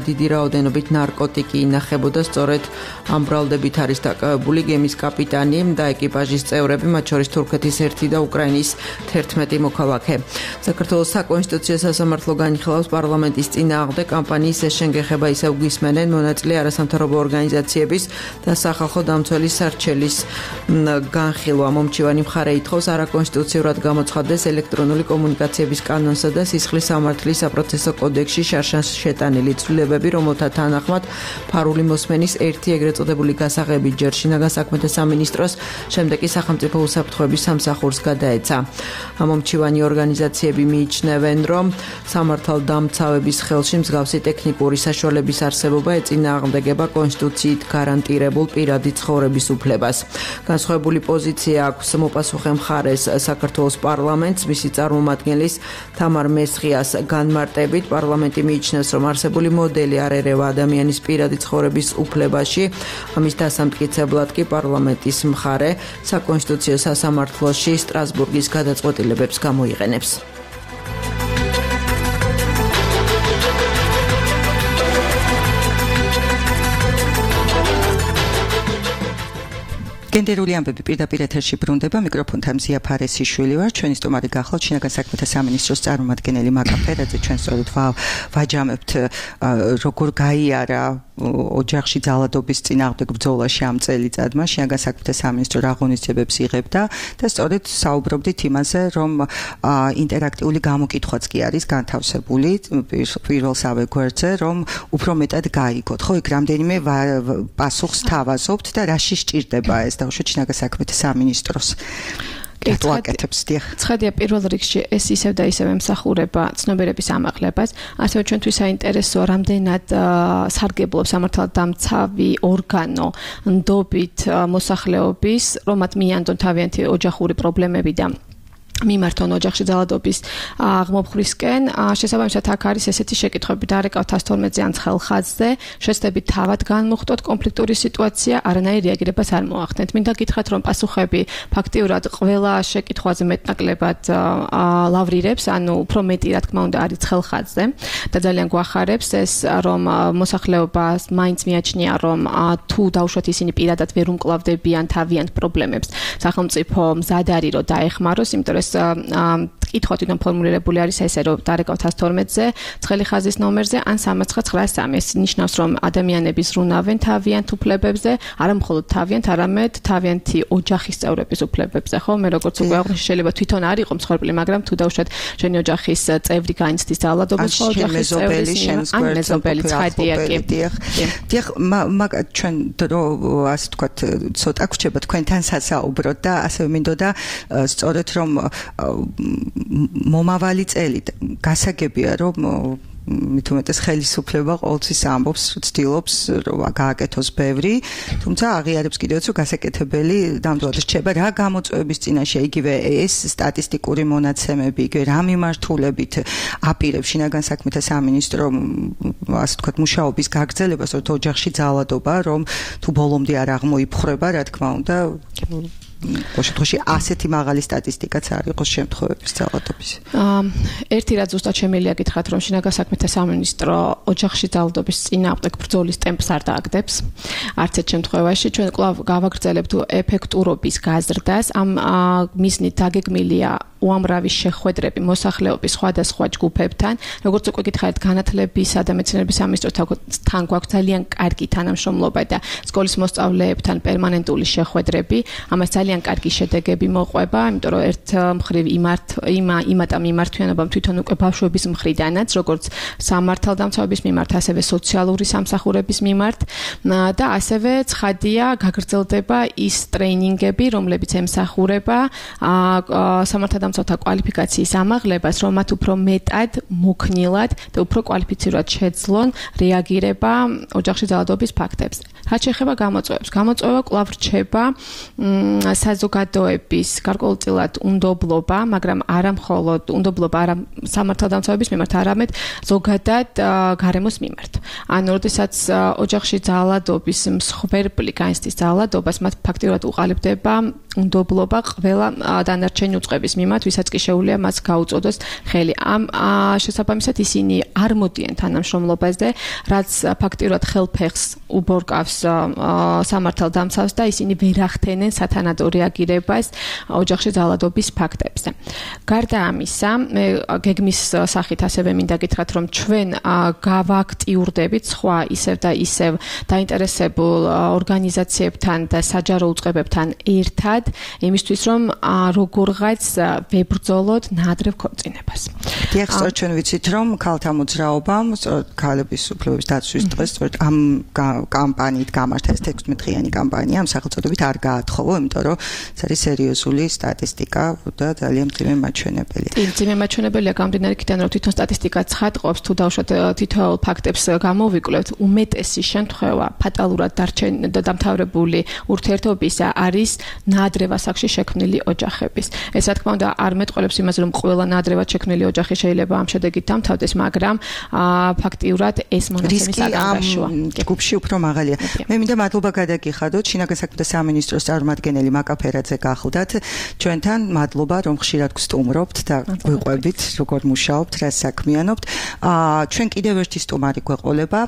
დიდი რაოდენობით ნარკოტიკი ინახებოდა. სწორედ ამ ბრალდებით არის დაკავებული გემის კაპიტანი და ეკიპაჟის წევრები, მათ შორის თურქეთის ერთი და უკრაინის თერთმეტი მოქალაქე. საქართველოს საკონსტიტუციო სასამართლო განიხილავს პარლამენტის წინააღმდეგ კამპანიის ეს შენგეხება ისევ გვისმენენ მონაწილე არასამთავრობო ორგანიზაციების და სახალხო დამცველის სარჩელის განხილვა. მომჩივანი მხარე ითხოვს არაკონსტიტუციურად გამოცხადდეს ელექტრონული კომუნიკაციების კანონსა და სისხლის სამართლის საპროცესო კოდექსში შარშან შეტანილი ცვლილებები, რომელთა თანახმად ფარული მოსმენის ერთი ეგრეთ წოდებული გასაღები ჯერ შინაგან საქმეთა სამინისტროს, შემდეგ კი სახელმწიფო უსაფრთხოების სამსახურს გადაეცა. მომჩივანი ორგანიზაციები მიიჩნევენ, რომ სამართალდამცავების ხელში მსგავსი ტექნიკური საშუალების არსებობა ეწინააღმდეგება კონსტიტუციით გარანტირებულ პირადი ცხოვრების უფლებას. განსხვავებული პოზიცია აქვს მოპასუხე მხარეს საქართველოს პარლამენტს, მისი წარმომადგენლის თამარ მესხიას განმარტებით, პარლამენტი მიიჩნევს, რომ არსებული მოდელი არ ერევა ადამიანის პირადი ცხოვრების უფლებაში. ამის დასამტკიცებლად კი პარლამენტის მხარე საკონსტიტუციო სასამართლოში სტრასბურგის გადაწყვეტილებებს გამოიყენებს. გენდერული ამბები პირდაპირ ეთერში ბრუნდება, მიკროფონთან მზია ფარესიშვილი ვარ, ჩვენი სტუმარი გახლავთ შინაგან საქმეთა სამინისტროს წარმომადგენელი მაკა ფერაძე. ჩვენ სწორედ ვაჯამებთ როგორ გაიარა ოჯახში ძალადობის წინააღმდეგ ბრძოლაში ამ წელიწადმა შინაგან საქმეთა სამინისტრო რა ღონისძიებებს იღებდა და სწორედ საუბრობდით იმაზე, რომ ინტერაქტიული გამოკითხვაც კი არის განთავსებული პირველსავე გვერდზე, რომ უფრო მეტად გაიგოთ. ხო, იქ რამდენიმე პასუხს თავაზობთ და რაში სჭირდება ეს დაუშვათ შინაგან საქმეთა სამინისტროს. ცხადია, პირველ რიგში ეს ისევ და ისევ ემსახურება ცნობიერების ამაღლებას, ასევე ჩვენთვის საინტერესოა, რამდენად სარგებლობს სამართალდამცავი ორგანო ნდობით მოსახლეობის, რომ მათ მიანდონ თავიანთი ოჯახური პრობლემები და მიმართონ ოჯახში ძალადობის აღმოფხვისკენ. შესაბამისად აქ არის ესეთი შეკითხვები, დარეკავთ one twelve-ზე ან ცხელ ხაზზე, შეცდებით თავად განმოხტოთ კონფლიქტური სიტუაცია, არანაირ რეაგირებას არ მოახდენთ. მინდა გითხრათ, რომ პასუხები ფაქტიურად ყველა შეკითხვაზე მეტნაკლებად ლავრირებს, ანუ უფრო მეტი რა თქმა უნდა არის ცხელ ხაზზე და ძალიან გვახარებს ეს, რომ მოსახლეობას მაინც მიაჩნია, რომ თუ დაუშვათ ისინი პირადად ვერ უმკლავდებიან თავიანთ პრობლემებს, სახელმწიფო მზად არის რომ დაეხმაროს, იმიტომ რომ კითხვა თვითონ ფორმულირებული არის ესე, რომ დარეკავთ one twelve-ზე, ცხელი ხაზის ნომერზე ან three nine nine three. ეს ნიშნავს, რომ ადამიანები ზრუნავენ თავიანთ უფლებებზე, არა მხოლოდ თავიანთ, არამედ თავიანთი ოჯახის წევრების უფლებებზე, ხო? მე როგორც უკვე აღვნიშნე, შეიძლება თვითონ არ იყო მსხვერპლი, მაგრამ თუ დავუშვათ შენი ოჯახის წევრი გაიცდის ძალადობას, ხო, ოჯახის წევრის ან მეზობელი ცხადია კი. დიახ, მაგ ჩვენ დრო ასე ვთქვათ, ცოტა გვჭება თქვენთან სასაუბროთ და ასევე მინდოდა სწორედ რომ მომავალი წელი გასაგებია რომ მithumetes ხელისუფლება ყოველთვის ამბობს, ცდილობს რომ გააკეთოს ბევრი, თუმცა აღიარებს კიდევაც რომ გასაკეთებელი ნამდვილად რჩება რა გამოწვევების წინაშე იგივე ეს სტატისტიკური მონაცემები, იგივე რა მიმართულებით აპირებს შინაგან საქმეთა სამინისტრო ასე ვთქვათ მუშაობის გაგრძელებას, რომ ოჯახში ძალადობა, რომ თუ ბოლომდე არ აღმოიფხრება, რა თქმა უნდა ოშეთოში ასეთი მაღალი სტატისტიკაც არ იყოს შემთხვევების ძალადობის. ერთი რაც ზუსტად შემიძლია გითხრათ, რომ შინაგან საქმეთა სამინისტრო ოჯახში ძალადობის წინააღმდეგ ბრძოლის ტემპს არ დააგდებს. არც ერთ შემთხვევაში ჩვენ კვლავ გავაგრძელებთ ეფექტურობის გაზრდას. ამ მიზნით დაგეგმილია უამრავი შეხვედრები მოსახლეობის სხვადასხვა ჯგუფებთან, როგორც უკვე გითხარით, განათლებისა და მეცნიერების სამინისტროსთან გვაქვს ძალიან კარგი თანამშრომლობა და სკოლის მოსწავლეებთან პერმანენტული შეხვედრები. ამას ძალიან კარგი შედეგები მოყვება, იმიტომ რომ ერთ მხრივ იმართ იმა იმატა მიმართვიანობამ თვითონ უკვე ბავშვების მხრიდანაც, როგორც სამართალდამცავების მიმართ, ასევე სოციალური სამსახურების მიმართ და ასევე ცხადია გაგრძელდება ის ტრეინინგები, რომლებიც ემსახურება სამართალდამცავ სამსახურთა კვალიფიკაციის ამაღლებას, რომ მათ უფრო მეტად მოქნილად და უფრო კვალიფიცირებად შეძლონ რეაგირება ოჯახში ძალადობის ფაქტებზე. რაც შეეხება გამოწვევებს, გამოწვევა კვლავ რჩება საზოგადოების გარკვეულწილად უნდობლობა, მაგრამ არა მხოლოდ უნდობლობა არა სამართალდამცავების მიმართ, არამედ ზოგადად გარემოს მიმართ. ანუ როდესაც ოჯახში ძალადობის მსხვერპლი განიცდის ძალადობას, მათ ფაქტიურად უყალიბდება უნდობლობა ყველა დანარჩენი უწყების მიმართ, ვისაც კი შეუძლია მას გაუწოდოს ხელი. ამ შესაბამისად ისინი არ მოდიან თანამშრომლობაზე, რაც ფაქტიურად ხელფეხს უბორკავს სამართალდამცავს და ისინი ვერ ახდენენ სათანადო რეაგირებას ოჯახში ძალადობის ფაქტებზე. გარდა ამისა, მე გეგმის სახით ასევე მინდა გითხრათ, რომ ჩვენ გავაქტიურდებით სხვა ისევ და ისევ დაინტერესებულ ორგანიზაციებთან და საჯარო უწყებებთან ერთად, იმისთვის რომ როგორღაც ვებრძოლოთ ნაადრევ ქორწინებას. დიახ, სწორედ ჩვენ ვიცით, რომ ქალთა მოძრაობამ, სწორედ ქალების უფლებების დაცვის დღეს, სწორედ ამ კამპანიით გამართა ეს თექვსმეტდღიანი კამპანია, ამ სახელწოდებით არ გაათხოვო, იმიტომ რომ ეს არის სერიოზული სტატისტიკა და ძალიან მძიმე მაჩვენებელია. კი, მძიმე მაჩვენებელია გამდინარე იქიდან, რომ თვითონ სტატისტიკა ცხადყოფს, თუ დავუშვათ თითოეულ ფაქტებს გამოვიკვლევთ, უმეტესი შემთხვევა ფატალურად დამთავრებული ურთიერთობისა არის ნაადრევ ასაკში შექმნილი ოჯახების. ეს რა თქმა უნდა არ მეტყველებს იმაზე, რომ ყველა ნაადრევად შექმნილი ოჯახი შეიძლება ამ შედეგით დამთავრდეს, მაგრამ ფაქტიურად ეს მონაცემის აღარაშოა. ჯგუფში უფრო მაღალია. მე მინდა მადლობა გადაგიხადოთ შინაგან საქმეთა სამინისტროს წარმომადგენელი მაკაფერაძე გახლდათ ჩვენთან. მადლობა რომ ხშირად გსტუმრობთ და გვიყვებით როგორ მუშაობთ, რა საქმიანობთ. ჩვენ კიდევ ერთი სტუმარი გვეყოლება.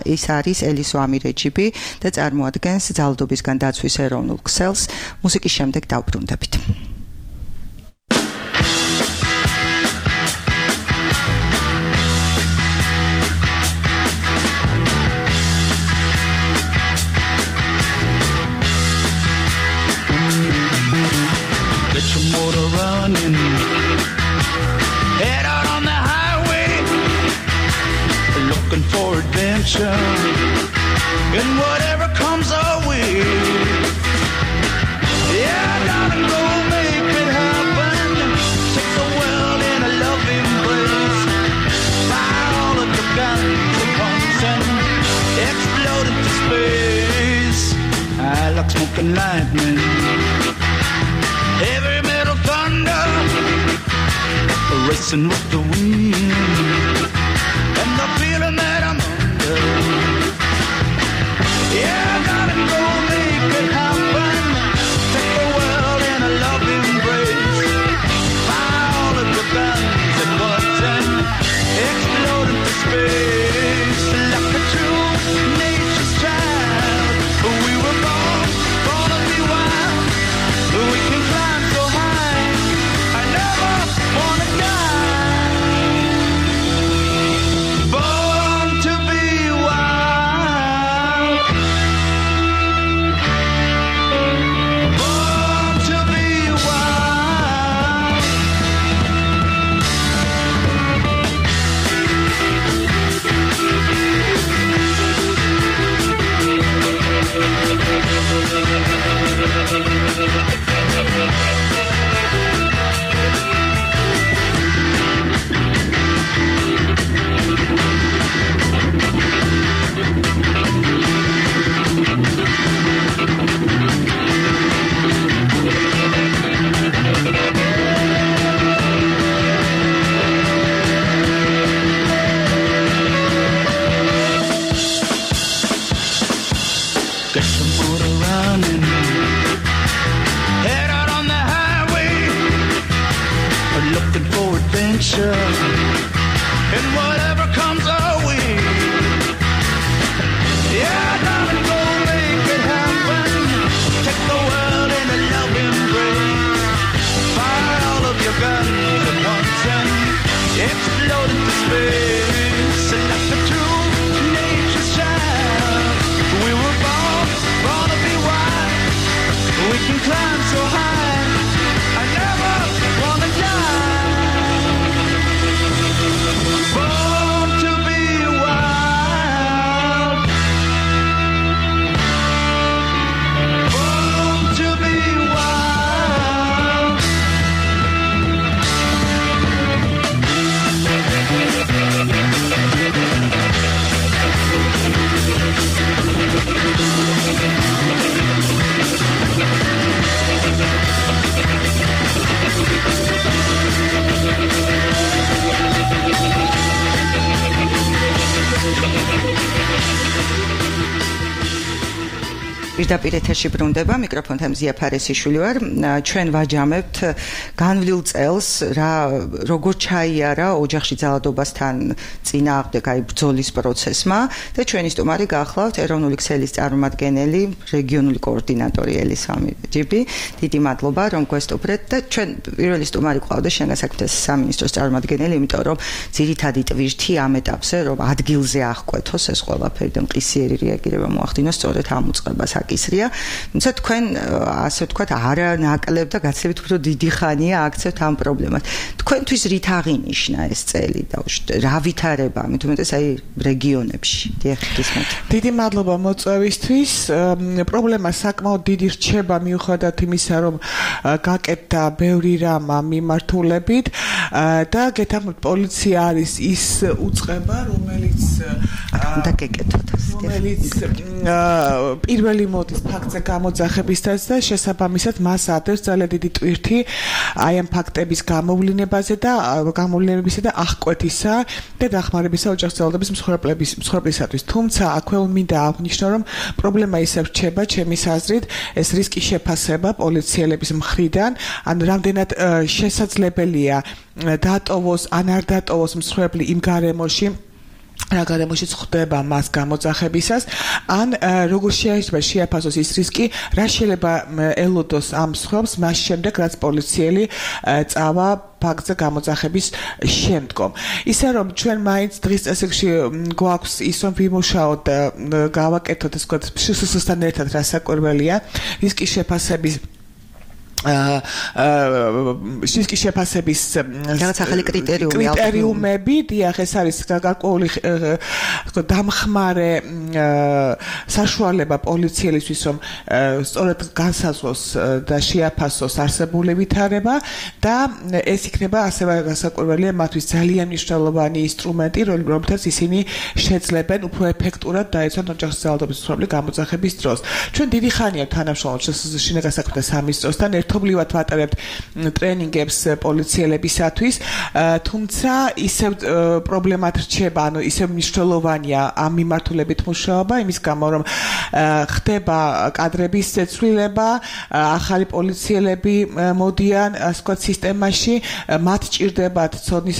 ეს არის ელისო ამირეჯიბი და წარმოადგენს ძალადობისგან დაცვის ეროვნულ ქსელს. მუსიკის შემდეგ დავბრუნდებით. Head out on the highway, looking for adventure, and whatever comes our way. Yeah, gotta go make it happen. Take the world in a loving embrace. Fire all of the guns and pumps and explode into space. I like smoking lightning. Heavy metal thunder, racing with the wind, and the feeling that I'm under. Yeah, I gotta go make it happen. Take the world in a loving embrace. Fire all of the guns at once and explode into space. Like a true nature's child, we were born, born to be wild. We can climb so high. I never want looking for adventure, and whatever comes our way. Yeah, darling, go make it happen. Take the world in a love embrace. Fire all of your guns at once and explode into space. And let the true nature shine. We were born, born to be wild. We can climb so high. I never wanna die. Born to be wild. Born to be wild. პირდაპირ ეთერში ბრუნდება მიკროფონთან მზია ფარესიშვილი ვარ. ჩვენ ვაჯამებთ განვლილ წელს რა როგორ ჩაიარა ოჯახში ძალადობასთან წინააღმდეგ აი ბრძოლის პროცესმა და ჩვენი სტუმარი გახლავთ ეროვნული ქსელის წარმომადგენელი რეგიონული კოორდინატორი ელისამი ჯიბი. დიდი მადლობა რომ გვესტუმრეთ და ჩვენ პირველი სტუმარი ყავდა შენგან საქმეთა სამინისტროს წარმომადგენელი, იმიტომ რომ ძირითადი ტვირთი ამ ეტაპზე რომ ადგილზე აღკვეთოს ეს ყველაფერი და მყისიერი რეაგირება მოახდინოს სწორედ ამ უწყებას ისრია, თუმცა თქვენ ასე ვთქვათ არანაკლებ და გაცილებით უფრო დიდი ხანია აქცევთ ამ პრობლემას. თქვენთვის რით აღინიშნა ეს წელი და რა ვითარება, მით უმეტეს აი რეგიონებში? დიახ, გისმენთ. დიდი მადლობა მოწვევისთვის. პრობლემა საკმაოდ დიდი რჩება მიუხედავად იმისა, რომ გაკეთდა ბევრი რამ მიმართულებით და გეთანხმებით პოლიცია არის ის უწყება, რომელიც უნდა გეკეთოთ, რომელიც პირველი მოდის ფაქტზე გამოძახებისას და შესაბამისად მას ადევს ძალიან დიდი ტვირთი აი ამ ფაქტების გამოვლინებაზე და გამოვლინებისა და აღკვეთისა და დახმარებისა ოჯახის ძალადობის მსხვერპლების მსხვერპლისათვის. თუმცა აქვე მინდა აღნიშნო, რომ პრობლემა ისევ რჩება ჩემის აზრით ეს რისკის შეფასება პოლიციელების მხრიდან, ან რამდენად შესაძლებელია დატოვოს ან არ დატოვოს მსხვერპლი იმ გარემოში რა გარემოშიც ხდება მას გამოძახებისას, ან როგორ შეიძლება შეაფასოს ის რისკი, რა შეიძლება ელოდოს ამ მსხვერპლს მას შემდეგ, რაც პოლიციელი წავა ფაქტზე გამოძახების შემდგომ. ისე რომ ჩვენ მაინც დღის წესრიგში გვაქვს ის რომ ვიმუშაოთ და გავაკეთოთ ეს ვთქვათ შსს-თან ერთად რასაკვირველია რისკის შეფასების რისკის შეფასების რაღაც ახალი კრიტერიუმი კრიტერიუმები, დიახ, ეს არის გარკვეული დამხმარე საშუალება პოლიციელისთვის, რომ სწორედ განსაზღვროს და შეაფასოს არსებული ვითარება და ეს იქნება ასევე გასაკვირველია მათთვის ძალიან მნიშვნელოვანი ინსტრუმენტი, რომელთაც ისინი შეძლებენ უფრო ეფექტურად დაეცვან ოჯახის ძალადობის მსხვერპლი გამოძახების დროს. ჩვენ დიდი ხანია თანამშრომლობთ შინაგან საქმეთა სამინისტროსთან, ერთობლივად ვატარებთ ტრენინგებს პოლიციელებისათვის, თუმცა ისევ პრობლემად რჩება, ანუ ისევ მნიშვნელოვანია ამ მიმართულებით მუშაობა, იმის გამო რომ ხდება კადრების ცვლილება, ახალი პოლიციელები მოდიან, ასე ვთქვათ, სისტემაში, მათ ჭირდებათ ცოდნის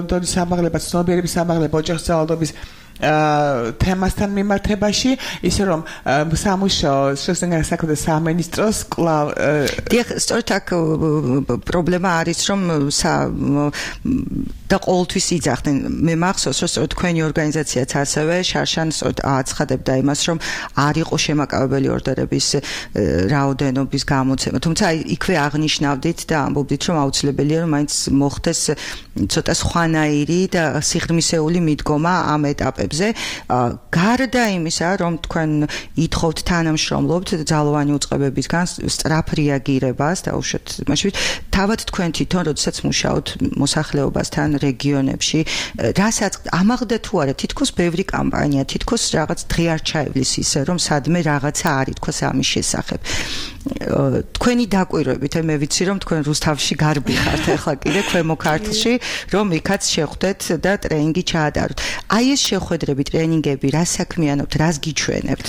დონის ამაღლება, ცნობიერების ამაღლება ოჯახის ძალადობის თემასთან მიმართებაში, ისე რომ სამუშაო შინაგან საქმეთა სამინისტროს კვლავ დიახ, სწორედ აქ პრობლემა არის, რომ და ყოველთვის იძახდნენ. მე მახსოვს, რომ სწორედ თქვენი ორგანიზაციაც ასევე შარშან სწორედ აცხადებდა იმას, რომ არ იყო შემაკავებელი ორდერების რაოდენობის გამოცემა. თუმცა იქვე აღნიშნავდით და ამბობდით, რომ აუცილებელია, რომ მაინც მოხდეს ცოტა სხვანაირი და სიღრმისეული მიდგომა ამ ეტაპებზე. გარდა იმისა, რომ თქვენ ითხოვთ თანამშრომლობთ ძალოვანი უწყებებისგან სწრაფ რეაგირებას და უშუალოდ მაშინ თავად თქვენ თვითონ როდესაც მუშაობთ მოსახლეობასთან რეგიონებში, რასაც ამაღლდა თუ არა, თითქოს ბევრი კამპანია, თითქოს რაღაც დღე არ ჩაივლის ისე, რომ სადმე რაღაცა არ ითქვას ამის შესახებ. თქვენი დაკვირვებით, მე ვიცი, რომ თქვენ რუსთავში გარბი ხართ ახლა კიდე ქვემო ქართლში, რომ იქაც შეხვდეთ და ტრენინგი ჩაატაროთ. აი ეს შეხვედრები, ტრენინგები, რა საქმიანობთ, რას გიჩვენებთ?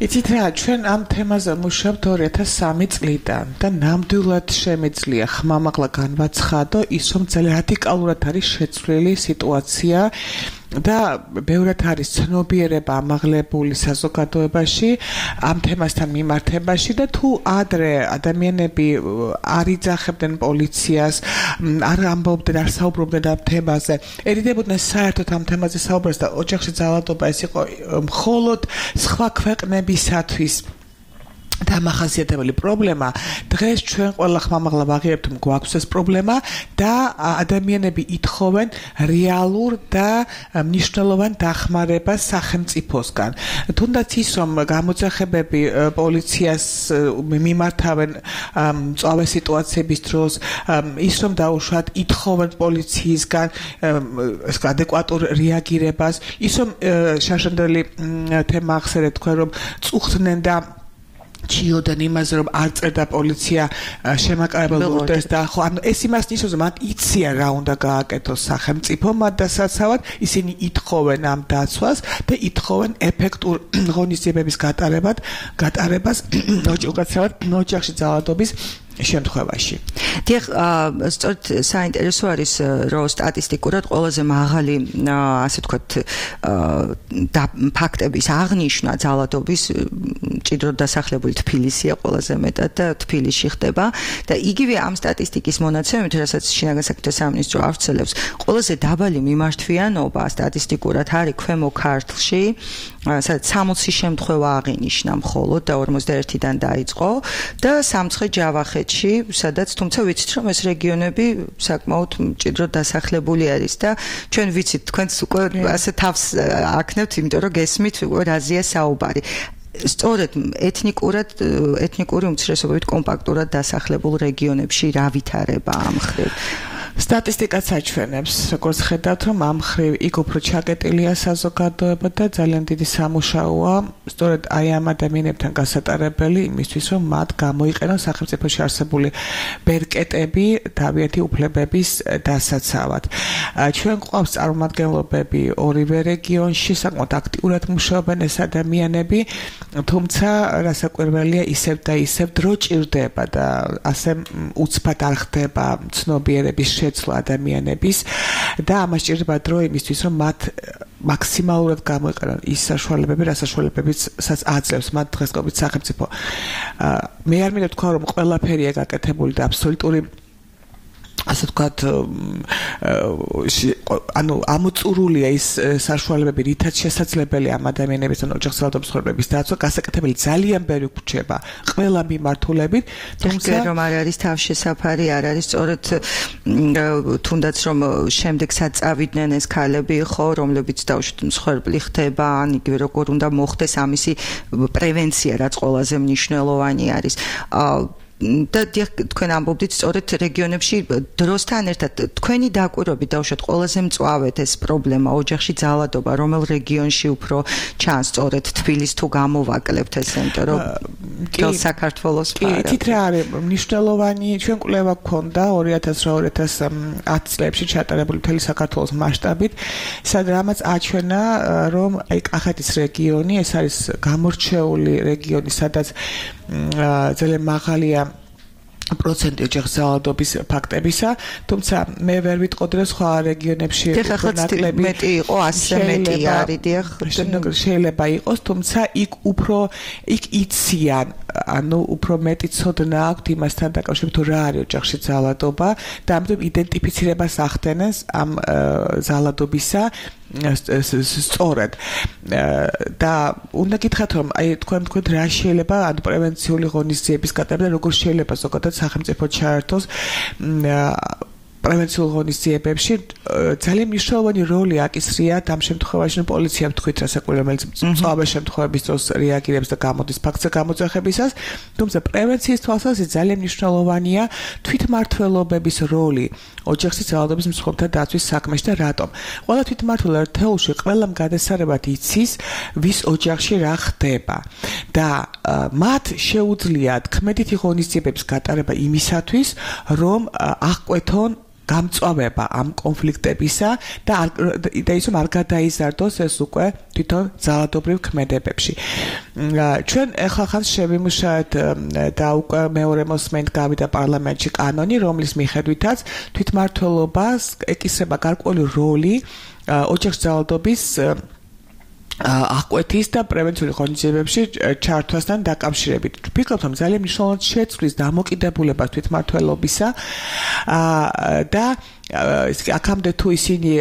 იცით რა, ჩვენ ამ თემაზე მუშაობთ ორი ათას სამი წლიდან და ნამდვილად შემეძლია ხმამაღლა განვაცხადო ის, რომ ძალიან რადიკალურად არის შეცვლილი სიტუაცია და ბევრად არის ცნობიერება ამაღლებული საზოგადოებაში ამ თემასთან მიმართებაში და თუ ადრე ადამიანები არ იძახებდნენ პოლიციას, არ ამბობდნენ, არ საუბრობდნენ ამ თემაზე, ერიდებოდნენ საერთოდ ამ თემაზე საუბრას და ოჯახში ძალადობა ეს იყო მხოლოდ სხვა ქვეყნებისათვის დამახასიათებელი პრობლემა, დღეს ჩვენ ყველა ხმამაღლა ვაღიარებთ, რომ გვაქვს ეს პრობლემა და ადამიანები ითხოვენ რეალურ და მნიშვნელოვან დახმარებას სახელმწიფოსგან. თუნდაც ის, რომ გამოძახებები პოლიციას მიმართავენ მწვავე სიტუაციების დროს, ის რომ დაუშვათ ითხოვენ პოლიციისგან ადეკვატურ რეაგირებას, ის რომ შაშანდელი თემა ახსენეთ თქვენ, რომ წუხდნენ და ჩიოდან იმაზე, რომ არ წერდა პოლიცია შემაკარებელ ორდერს და ხო, ანუ ეს იმას ნიშნავს, რომ მათ იციან რა უნდა გააკეთოს სახელმწიფო, მათ დასაცავად ისინი ითხოვენ ამ დაცვას და ითხოვენ ეფექტურ ღონისძიებების გატარებად, გატარებას ოჯახურად, ოჯახში ძალადობის შემთხვევაში. დიახ, სწორედ საინტერესო არის, რომ სტატისტიკურად ყველაზე მაღალი, ასე ვთქვათ, ფაქტების აღნიშვნა ძალადობის მჭიდროდ დასახლებული თბილისია ყველაზე მეტად და თბილისში ხდება და იგივე ამ სტატისტიკის მონაცემებით, რასაც შინაგან საქმეთა სამინისტრო ავრცელებს, ყველაზე დაბალი მიმართვიანობა სტატისტიკურად არის ქვემო ქართლში, სადაც სამოცი შემთხვევა აღინიშნა მხოლოდ და ორმოცდაერთიდან დაიწყო და სამცხე ჯავახეთში, სადაც თუმცა ვიცით, რომ ეს რეგიონები საკმაოდ მჭიდროდ დასახლებული არის და ჩვენ ვიცით, თქვენც უკვე ასე თავს აქნევთ, იმიტომ რომ გესმით რაზეა საუბარი. სწორედ ეთნიკურად ეთნიკური უმცირესობებით კომპაქტურად დასახლებულ რეგიონებში რა ვითარება ამ მხრივ? სტატისტიკაც აჩვენებს, როგორც ხედავთ, რომ ამ მხრივ იქ უფრო ჩაკეტილია საზოგადოება და ძალიან დიდი სამუშაოა სწორედ აი ამ ადამიანებთან გასატარებელი იმისთვის, რომ მათ გამოიყენონ სახელმწიფოში არსებული ბერკეტები თავიანთი უფლებების დასაცავად. ჩვენ გვყავს წარმომადგენლობები ორივე რეგიონში, საკმაოდ აქტიურად მუშაობენ ეს ადამიანები, თუმცა რასაკვირველია ისევ და ისევ დრო ჭირდება და ასე უცბად არ ხდება ცნობიერების შეცვლა ადამიანების და ამას ჭირდება დრო იმისთვის, რომ მათ მაქსიმალურად გამოიყენონ ის საშუალებები, რა საშუალებებიც აძლევს მათ დღესდღეობით სახელმწიფო. მე არ მინდა თქვა, რომ ყველაფერია გაკეთებული და აბსოლუტური ასე ვთქვათ, ანუ ამოწურულია ის საშუალებები, რითაც შესაძლებელი ამ ადამიანების ან ოჯახის ძალადობის ხორბლების დაცვა, გასაკეთებელი ძალიან ბევრი გვჭირდება ყველა მიმართულებით, თუმცა რომ არ არის თავშესაფარი, არ არის სწორედ თუნდაც რომ შემდეგ საწავიდნენ ეს ქალები, ხო, რომლებიც დაუშვით მსხვერპლი ხდება, ან იგივე როგორ უნდა მოხდეს ამისი პრევენცია, რაც ყველაზე მნიშვნელოვანი არის. და თქვენ ამბობდით სწორედ რეგიონებში დროსთან ერთად თქვენი დაკვირვებით დაუშვათ ყველაზე მწვავედ ეს პრობლემა ოჯახში ძალადობა რომელ რეგიონში უფრო ჩანს სწორედ თბილისს თუ გამოვაკლებთ ეს იმიტომ რომ მთელ საქართველოს კი თით რა არის მნიშვნელოვანი ჩვენ კვლევა გქონდა ორი ათას ორი ათას ათი წლებში ჩატარებული მთელი საქართველოს მასშტაბით სადაც აჩვენა რომ აი კახეთის რეგიონი ეს არის გამორჩეული რეგიონი სადაც ძალიან მაღალია პროცენტი ოჯახის ძალადობის ფაქტებისა, თუმცა მე ვერ ვიტყოდი რომ სხვა რეგიონებში ნაკლები მეტი იყო, ასე მეტი არის, დიახ, შეიძლება იყოს, თუმცა იქ უფრო იქ იციან, ანუ უფრო მეტი ცოდნა აქვთ იმასთან დაკავშირებით თუ რა არის ოჯახში ძალადობა და ამიტომ იდენტიფიცირებას ახდენს ამ ძალადობისა სწორად და უნდა გითხრათ რომ აი თქვენ თქვენ რა შეიძლება ანუ პრევენციული ღონისძიების გატარება და როგორ შეიძლება ზოგადად სახელმწიფო ჩაერთოს პრევენციულ ღონისძიებებში ძალიან მნიშვნელოვანი როლი აკისრიათ ამ შემთხვევაში რომ პოლიცია თქვით რასაკვირველია რომელიც მწვავე შემთხვევების დროს რეაგირებს და გამოდის ფაქტზე გამოძახებისას თუმცა პრევენციის თვალსაზრისით ძალიან მნიშვნელოვანია თვითმმართველობების როლი ოჯახის ძალადობის მსხვერპლთა დაცვის საქმეში და რატომ ყველა თვითმმართველი ერთეულში ყველამ გადასარევად იცის ვის ოჯახში რა ხდება და მათ შეუძლიათ ქმედითი ღონისძიებების გატარება იმისათვის რომ აღკვეთონ გამწვავება ამ კონფლიქტებისა და და ის რომ არ გადაიზარდოს ეს უკვე თვითონ ძალადობრივ ქმედებებში. ჩვენ ახლა ხან შევიმუშავეთ და უკვე მეორე მოსმენით გავიდა პარლამენტში კანონი, რომლის მიხედვითაც თვითმმართველობას ეკისრება გარკვეული როლი ოჯახის ძალადობის აღკვეთის და პრევენციული ღონისძიებებში ჩართვასთან დაკავშირებით. ვფიქრობ, რომ ძალიან მნიშვნელოვნად შეცვლის დამოკიდებულებას თვითმმართველობისა და აქამდე თუ ისინი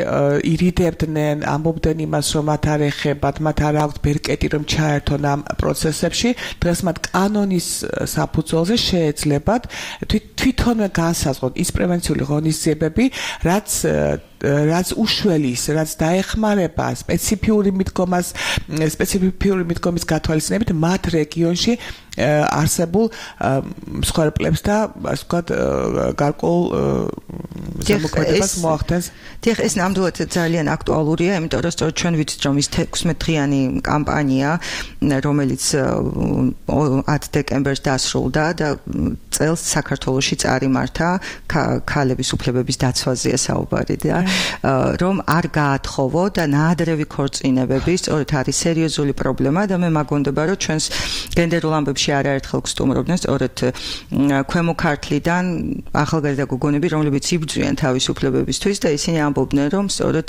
ირიდებდნენ, ამბობდნენ იმას, რომ მათ არ ეხებათ, მათ არ აქვთ ბერკეტი, რომ ჩაერთონ ამ პროცესებში, დღეს მათ კანონის საფუძველზე შეეძლებათ თვითონვე განსაზღვროთ ის პრევენციული ღონისძიებები, რაც რაც უშველის, რაც დაეხმარება სპეციფიური მიდგომას, სპეციფიური მიდგომის გათვალისწინებით მათ რეგიონში არსებულ მსხვერპლებს და ასე ვთქვათ გარკვეულ ზემოქმედებას მოახდენს. დიახ, ეს ნამდვილად ძალიან აქტუალურია, იმიტომ რომ სწორედ ჩვენ ვიცით, რომ ის თექვსმეტდღიანი კამპანია, რომელიც ათი დეკემბერს დასრულდა და წელს საქართველოში წარიმართა ქალების უფლებების დაცვაზეა საუბარი და რომ არ გაათხოვო და ნაადრევი ქორწინებები სწორედ არის სერიოზული პრობლემა და მე მაგონდება, რომ ჩვენს გენდერულ ამბებში არაერთხელ გსტუმრობდნენ სწორედ ქვემო ქართლიდან ახალგაზრდა გოგონები, რომლებიც იბრძვიან თავისუფლებებისთვის და ისინი ამბობდნენ, რომ სწორედ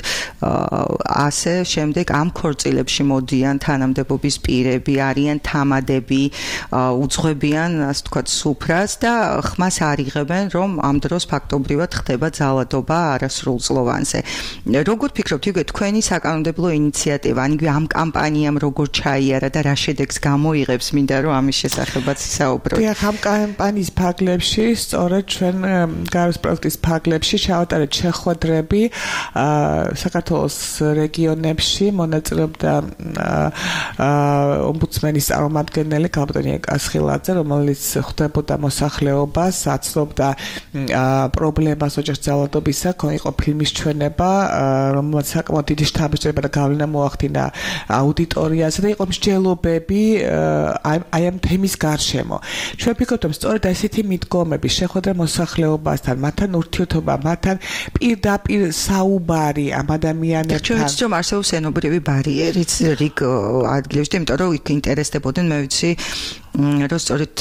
ასე შემდეგ ამ ქორწილებში მოდიან თანამდებობის პირები, არიან თამადები, უძღვებიან, ასე ვთქვათ, სუფრას და ხმას არიღებენ, რომ ამ დროს ფაქტობრივად ხდება ძალადობა არასრულწლოვანზე. როგორ ფიქრობთ, იგივე თქვენი საკანონმდებლო ინიციატივა, ან იგივე ამ კამპანიამ როგორ ჩაიარა და რა შედეგს გამოიღებს, მინდა რომ ამის შესახებაც საუბროთ. დიახ, ამ კამპანიის ფარგლებში, სწორედ ჩვენ გაეროს პროექტის ფარგლებში ჩავატარეთ შეხვედრები საქართველოს რეგიონებში, მონაწილეობდა ომბუდსმენის წარმომადგენელი გაბატონი კასხილაძე, რომელიც ხვდებოდა მოსახლეობას, აცნობდა პრობლემას ოჯახის ძალადობისა, იყო ფილმის ჩვენება, რომელსაც საკმაოდ დიდი შთაბეჭდილება და გავლენა მოახდინა აუდიტორიაზე და იყო მსჯელობები აი ამ თემის გარშემო. ჩვენ ვფიქრობთ, რომ სწორედ ასეთი მიდგომები, შეხვედრა მოსახლეობასთან, მათთან ურთიერთობა, მათთან პირდაპირ საუბარი ამ ადამიანებთან. ჩვენ ვიცით, რომ არსებობს ენობრივი ბარიერიც რიგ ადგილებში, იმიტომ რომ იქ ინტერესდებოდნენ, მე ვიცი, რომ სწორედ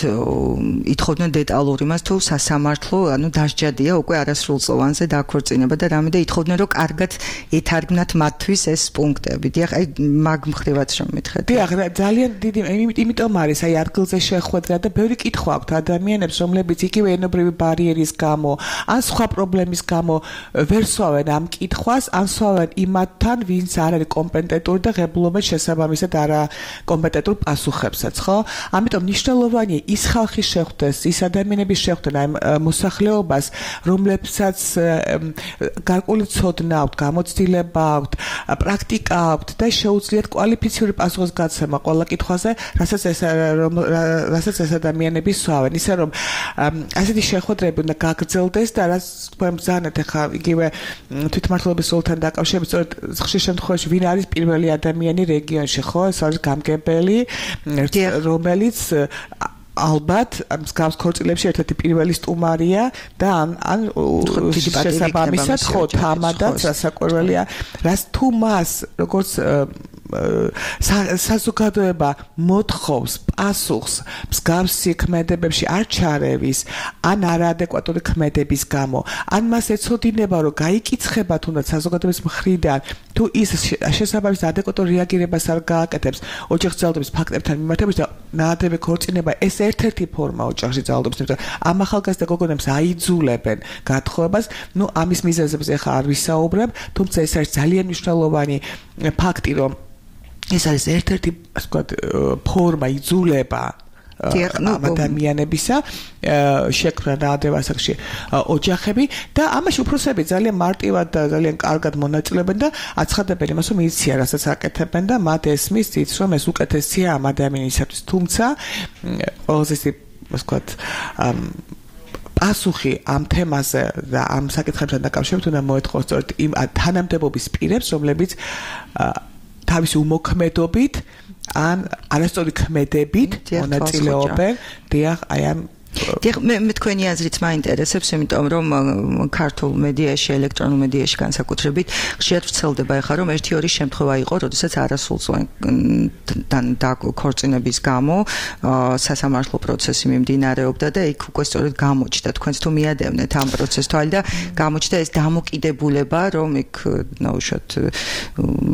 ითხოვდნენ დეტალური მას თუ სასამართლო, ანუ დასჯადია უკვე არასრულწლოვანზე დაქორწინება და რამე და ითხოვდნენ, რომ კარგად ეთარგმნათ მათთვის ეს პუნქტები. დიახ, აი მაგ მხრივაც რომ მითხრეთ. დიახ, ძალიან დიდი, იმიტომ არის აი ადგილზე შეხვედრა და ბევრი კითხვა აქვთ ადამიანებს, რომლებიც იგივე ენობრივი ბარიერის გამო, ან სხვა პრობლემის გამო ვერ სვავენ ამ კითხვას, ან სვავენ იმათთან, ვინც არ არის კომპეტენტური და ღებულობენ შესაბამისად არა კომპეტენტურ პასუხებსაც, ხო? ამიტომ მნიშვნელოვანია ის ხალხი შეხვდეს, ის ადამიანები შეხვდნენ აი მოსახლეობას, რომლებსაც გარკვეული ცოდნა აქვთ, გამოცდილება აქვთ, პრაქტიკა აქვთ და შეუძლიათ კვალიფიციური პასუხისგაცემა ყველა კითხვაზე, რასაც ეს რასაც ეს ადამიანები სვავენ. ისე რომ ასეთი შეხვედრები უნდა გაგრძელდეს და რაც თქვენ ბრძანეთ ახლა იგივე თვითმმართველობის სულთან დაკავშირებით, სწორედ ხშირ შემთხვევაში ვინ არის პირველი ადამიანი რეგიონში, ხო? ეს არის გამგებელი, რომელიც ალბათ მსგავს ქორწილებში ერთ-ერთი პირველი სტუმარია და ან ან შესაბამისად ხო თამადაც რასაკვირველია, რაც თუ მას როგორც საზოგადოება მოთხოვს პასუხს მსგავსი ქმედებებში არ ჩარევის ან არაადეკვატური ქმედების გამო, ან მას ეცოდინება, რომ გაიკიცხება თუნდაც საზოგადოების მხრიდან, თუ ის შესაბამის ადეკვატურ რეაგირებას არ გააკეთებს ოჯახის ძალადობის ფაქტებთან მიმართებით და ნაადრევი ქორწინება ეს ერთ-ერთი ფორმა ოჯახში ძალადობის, ამ ახალგაზრდა გოგონებს აიძულებენ გათხოვებას, ნუ ამის მიზეზებზე ახლა არ ვისაუბრებ, თუმცა ეს არის ძალიან მნიშვნელოვანი ფაქტი, რომ ეს არის ერთ-ერთი, ასე ვთქვათ, ფორმა იძულება ადამიანებისა შექმნა ნაადრევ ასაკში ოჯახები და ამაში უფროსები ძალიან მარტივად და ძალიან კარგად მონაწილეობენ და აცხადებენ იმას, რომ იციან, რასაც აკეთებენ და მათ ესმის წიც, რომ ეს უკეთესია ამ ადამიანისათვის. თუმცა ყველაზე ისე, ასე ვთქვათ, პასუხი ამ თემაზე და ამ საკითხებთან დაკავშირებით უნდა მოეთხოვოს სწორედ იმ თანამდებობის პირებს, რომლებიც თავისი უმოქმედობით ან არასწორი ქმედებით მონაწილეობენ დიახ აი ამ დიახ, მე მე თქვენი აზრიც მაინტერესებს, იმიტომ რომ ქართულ მედიაში, ელექტრონულ მედიაში განსაკუთრებით ხშირად ვრცელდება ეხლა რომ ერთი ორი შემთხვევა იყო, როდესაც არასრულწლოვან დაქორწინების გამო სასამართლო პროცესი მიმდინარეობდა და იქ უკვე სწორედ გამოჩნდა, თქვენც თუ მიადევნეთ ამ პროცესს თვალე და გამოჩნდა ეს დამოკიდებულება, რომ იქ ნაუშოთ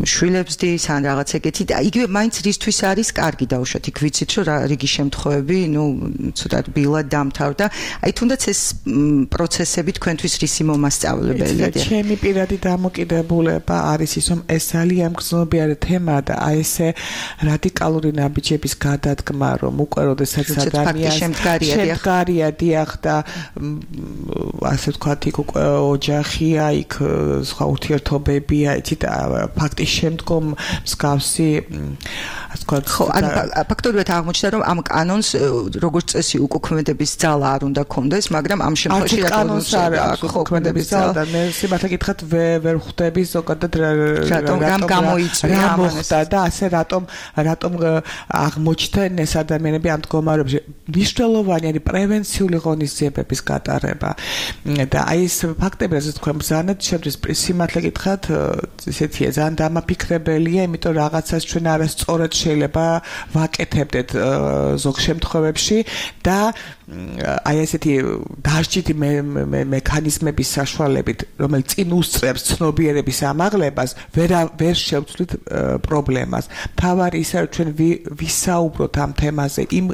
შვილებს დის ან რაღაც ეგეთი და იგივე მაინც რისთვის არის კარგი დაუშვათ, იქ ვიცით რომ რიგი შემთხვევები, ну, ცოტა ბილად დამთავრდა. აი თუნდაც ეს პროცესები თქვენთვის რისი მომასწავლებელია? ჩემი პირადი დამოკიდებულება არის ის, რომ ეს ძალიან გრძნობიარე თემაა და აი ესე რადიკალური ნაბიჯების გადადგმა, რომ უკვე როდესაც ადამიანს შემდგარია დიახ და ასე ვთქვათ, იქ უკვე ოჯახია, იქ სხვა ურთიერთობებია, იცით, ფაქტის შემდგომ მსგავსი ასე ვთქვათ, ხო, ანუ ფაქტობრივად აღმოჩნდა, რომ ამ კანონს როგორც წესი უკუქმედების ძალა არ უნდა კონდეს, მაგრამ ამ შემთხვევაში კანონს არ აქვს უკუქმედების ძალა და მე სიმართლე გითხრათ ვერ ხვდები ზოგადად რატომ რამ გამოიწვია ამასა და ასე რატომ რატომ აღმოჩნდნენ ეს ადამიანები ამ მდგომარეობაში. მნიშვნელოვანი არის პრევენციული ღონისძიებების გატარება და აი ეს ფაქტები, რასაც თქვენ ბრძანეთ, შემთხვევით სიმართლე გითხრათ, ესეთია ძალიან დამაფიქრებელია, იმიტომ რაღაცას ჩვენ არასწორად შეიძლება ვაკეთებდეთ ზოგ შემთხვევებში და აი ესეთი დაშჯითი მექანიზმების საშუალებით, რომელიც წინ უსწრებს ცნობიერების ამაღლებას, ვერ ვერ შევცვლით პრობლემას. თავარი ისე რომ ჩვენ ვისაუბროთ ამ თემაზე იმ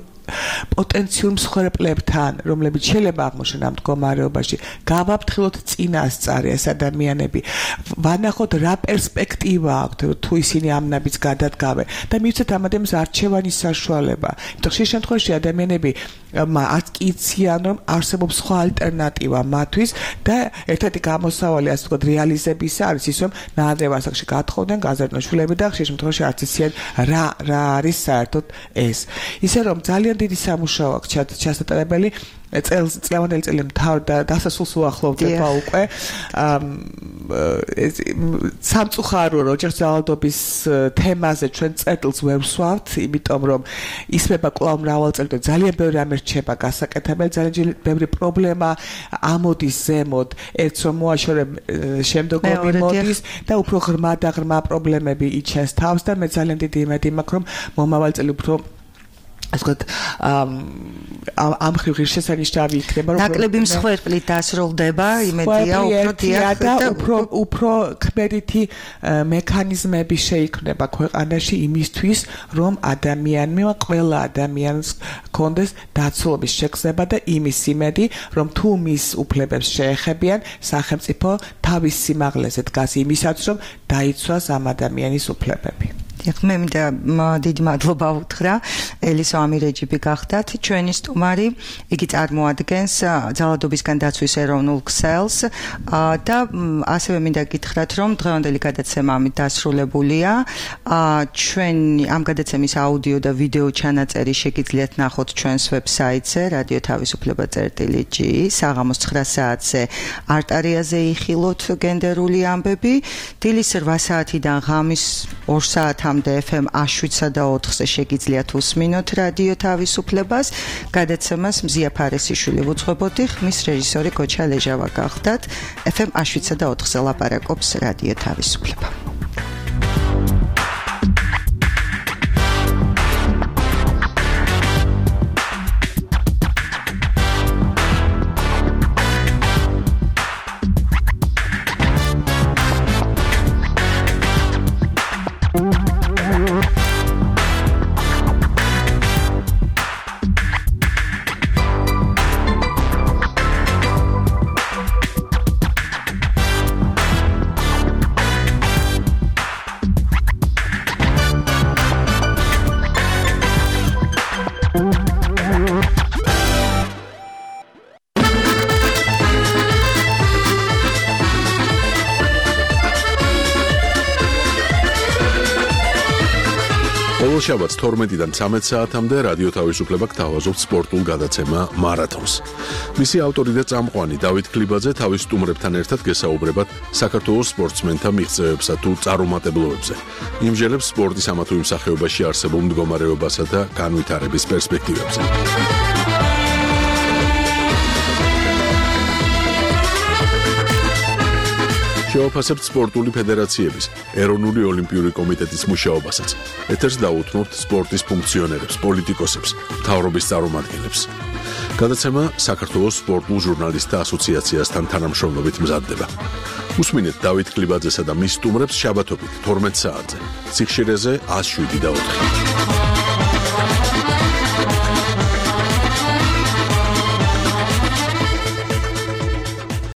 პოტენციურ მსხვერპლებთან, რომლებიც შეიძლება აღმოჩნდნენ ამ მდგომარეობაში, გავაფრთხილოთ წინასწარი ეს ადამიანები, ვანახოთ რა პერსპექტივა აქვთ, თუ ისინი ამ ნაბიჯს გადადგავენ და მივცეთ ამ ადამიანს არჩევანის საშუალება. იმიტომ ხშირ შემთხვევაში ადამიანები არც კი იციან, რომ არსებობს სხვა ალტერნატივა მათთვის და ერთ-ერთი გამოსავალი, ასე ვთქვათ, რეალიზებისა არის ის, რომ ნაადრევ ასაკში გათხოვდნენ გაზარდნა შვილები და ხშირ შემთხვევაში არც იციან რა რა არის საერთოდ ეს. ისე რომ ძალიან დიდი სამუშაო აქვს ჩასატარებელი წელს წლევანდელი წელი მთავრდა დასასრულს უახლოვდება უკვე სამწუხარო რომ ოჯახის ძალადობის თემაზე ჩვენ წერტილს ვერ ვსვავთ, იმიტომ რომ ისმება კვლავ მრავალწელი და ძალიან ბევრი რამე რჩება გასაკეთებელი, ძალიან ბევრი პრობლემა ამოდის ზემოთ, ერთს რომ მოაშორებ შემდგომი მოდის და უფრო ღრმა და ღრმა პრობლემები იჩენს თავს და მე ძალიან დიდი იმედი მაქვს რომ მომავალი წელი უფრო ასე ვთქვათ, ამ ხრივ ღირსშესანიშნავი იქნება, რომ ნაკლები მსხვერპლით დასრულდება, იმედია უფრო დიახ და უფრო უფრო ქმედითი მექანიზმები შეიქმნება ქვეყანაში იმისთვის, რომ ადამიანმა, ყველა ადამიანს კონდეს დაცულობის შეგრძნება და იმის იმედი, რომ თუ მის უფლებებს შეეხებიან, სახელმწიფო თავის სიმაღლეზე დგას იმისაც, რომ დაიცვას ამ ადამიანის უფლებები. მე მინდა დიდი მადლობა უთხრა ელისო ამირეჯიბი გახდათ ჩვენი სტუმარი, იგი წარმოადგენს ძალადობისგან დაცვის ეროვნულ ქსელს და ასევე მინდა გითხრათ, რომ დღევანდელი გადაცემა ამით დასრულებულია. ჩვენი ამ გადაცემის აუდიო და ვიდეო ჩანაწერი შეგიძლიათ ნახოთ ჩვენს ვებსაიტზე რადიო თავისუფლება წერტილი ჯი საღამოს ცხრა საათზე არტარიაზე იხილოთ გენდერული ამბები, დილის რვა საათიდან ღამის ორ საათამდე ეფ ემ შვიდსა და ოთხზე შეგიძლიათ უსმინოთ რადიო თავისუფლებას. გადაცემას მზია ფარესიშვილი უძღვებოდი, ხმის რეჟისორი გოჩა ლეჟავა გახდათ. ეფ ემ შვიდსა და ოთხზე ლაპარაკობს რადიო თავისუფლება. შაბათს თორმეტიდან ცამეტ საათამდე რადიო თავისუფლება გთავაზობთ სპორტულ გადაცემა მარათონს. მისი ავტორი და წამყვანი დავით ქლიბაძე თავის სტუმრებთან ერთად გესაუბრებათ საქართველოს სპორტსმენთა მიღწევებსა თუ წარუმატებლობებზე. იმჟელებს სპორტის ამა თუ იმ სახეობაში არსებულ მდგომარეობასა და განვითარების პერსპექტივებზე. შევაფასებთ სპორტული ფედერაციების, ეროვნული ოლიმპიური კომიტეტის მუშაობასაც. ეთერს დაუთმობთ სპორტის ფუნქციონერებს, პოლიტიკოსებს, მთავრობის წარმომადგენლებს. გადაცემა საქართველოს სპორტულ ჟურნალისტთა ასოციაციასთან თანამშრომლობით მზადდება. უსმინეთ დავით კლიბაძესა და მის სტუმრებს შაბათობით თორმეტ საათზე. სიხშირეზე ათს შვიდი და ოთხი.